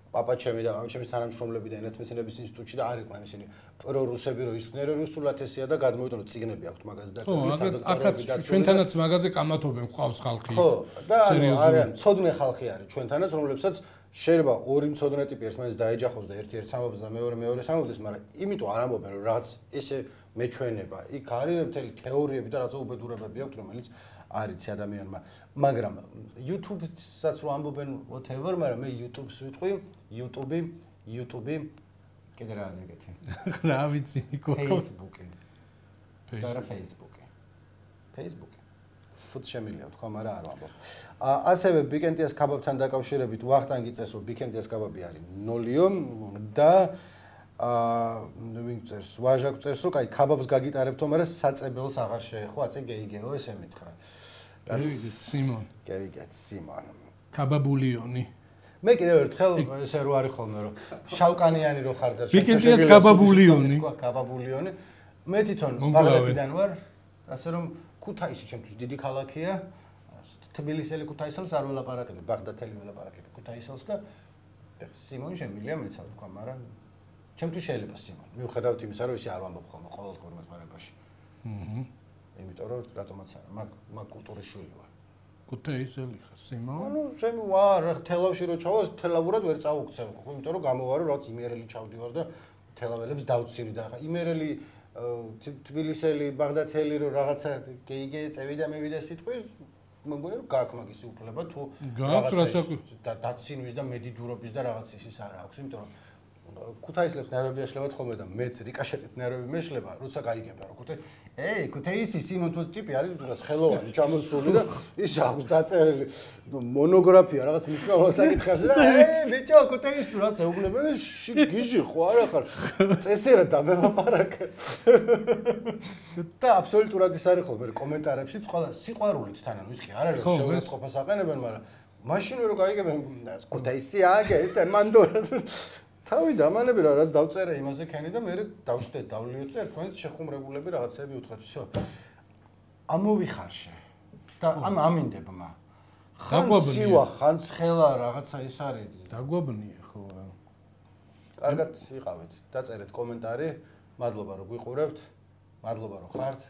პაპა ჩემი და ჩემის თანამშრომლები და ენათმეცნიერების ინსტიტუტში და არ იყვნენ ისინი პრორუსები რომ ისწნერე რუსულად ესია და გადმოიტანო წიგნები აქვთ მაგაზე და აქაც ჩვენთანაც მაგაზე კამათობენ ყავს ხალხი ხო და არიან ცოდნე ხალხი არის ჩვენთანაც რომლებსაც შეიძლება ორი მცოდნე ტიპი ერთმანეთს დაეჯახოს და ერთი ერთს ამბობს და მეორე მეორეს ამბობს მაგრამ იმიტომ არ ამბობენ რომ რაღაც ესე მეჩვენება იქ არის მთელი თეორიები და რაღაცა უბედურებები აქვთ რომელიც არის ადამიანმა. მაგრამ YouTube-საც რო ამბობენ whatever, მაგრამ მე YouTube-ს ვიტყვი, YouTube, YouTube კიდე რა არის ეგეთი? რა ვიცი ნიკო. Facebook-ი. და Facebook-ი. Facebook-ი. ფუთ შემილია თქვა, მაგრამ არ ვამბობ. ასევე ბიკენტიას კაბაბთან დაკავშირებით ვახტანგი წერს, რომ ბიკენტიას კაბაბი არის ნოლიო და აა ვინ წერს, ვაჟაკ წერს, რომ კაი კაბაბს გაგიტარებთო, მაგრამ საწებელს აღარ შეეხო, აწე გეიგეო ესე მითხრა. გევიგეთ სიმონ. გევიგეთ სიმონ. კაბაბულიონი. მე კიდევ ერთხელ ესე რო არის ხოლმე, რომ შავკანიანი რო ხარ და ბიკენტიას კაბაბულიონი. კაბაბულიონი. მე თვითონ ბაღდათიდან ვარ, ასე რომ ქუთაისი ჩემთვის დიდი ქალაქია. თბილისელი ქუთაისელს არ ველაპარაკები, ბაღდათელი ველაპარაკები ქუთაისელს და სიმონ შემილია მეცა თქვა, მაგრამ ჩემთვის შეიძლება სიმონ. მიუხედავად იმისა, რომ ისე არ ვამბობ ხოლმე ყოველდღიურ მოძმარებაში. აჰა. იმიტომ რომ რატომაც არა, მაგ მაგ კულტურის შვილი ვარ. ქუთაისელი ხარ სიმონ? ანუ შემი ვარ, თელავში რო ჩავა, თელავურად ვერ წავუქცევ, ხო, იმიტომ რომ გამოვარო, რაც იმერელი ჩავდივარ და თელაველებს დავცინი და იმერელი თბილისელი, ბაღდათელი რო რაღაცა გეიგე წევიდა მევიდა სიტყვი, მეგონი რომ გააქვს მაგის უფლება თუ რაღაცა დაცინვის და მედიდურობის და რაღაც ისის არა აქვს, იმიტომ რომ ქუთაისლებს ნერვები ეშლებათ ხოლმე და მეც რიკაშეტით ნერვები მეშლება, როცა გაიგება რომ ქუთაისი, ეი, ქუთაისი სიმონ თუ ტიპი არის, რაღაც ხელოვანი ჩამოსული და ის აქვს დაწერილი მონოგრაფია რაღაც მნიშვნელოვან საკითხებზე და ეი, ბიჭო, ქუთაისი თუ რაც ეუბნება, გიჟი ხო არა ხარ? წესერად დამელაპარაკე. და აბსოლუტურად ის არის ხოლმე კომენტარებში, ყველა სიყვარულით თან, ანუ ის კი არ არის შეუწყობას აყენებენ, მაგრამ მაშინ რო გაიგებენ ქუთაისი აგე, ეს მანდორა თავი დამანები რა რაც დავწერე იმაზე ქენი და მე დავშტე დავლიოთ და ერთმანეთს შეხუმრებულები რაღაცები უთხრათ всё. ამოვიხარშე. და ამ ამინდებმა. ხან სივა, ხან ცხელა რაღაცა ის არის. დაგვაბნიე ხო რა. კარგად იყავით. დაწერეთ კომენტარი. მადლობა რომ გვიყურებთ. მადლობა რომ ხართ.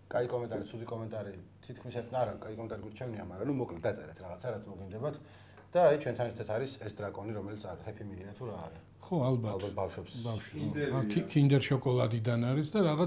კაი კომენტარი, ცუდი კომენტარი, თითქმის ერთ არა, კაი კომენტარი გურჩევნია, მაგრამ ნუ მოკლედ დაწერეთ რაღაცა რაც მოგინდებათ. და აი ჩვენთან ერთად არის ეს დრაკონი, რომელიც არის ჰეპი მილია თუ რა არის. ხო, ალბათ. ალბათ ბავშვებს. ბავშვი. კინდერ შოკოლადიდან არის და რაღაც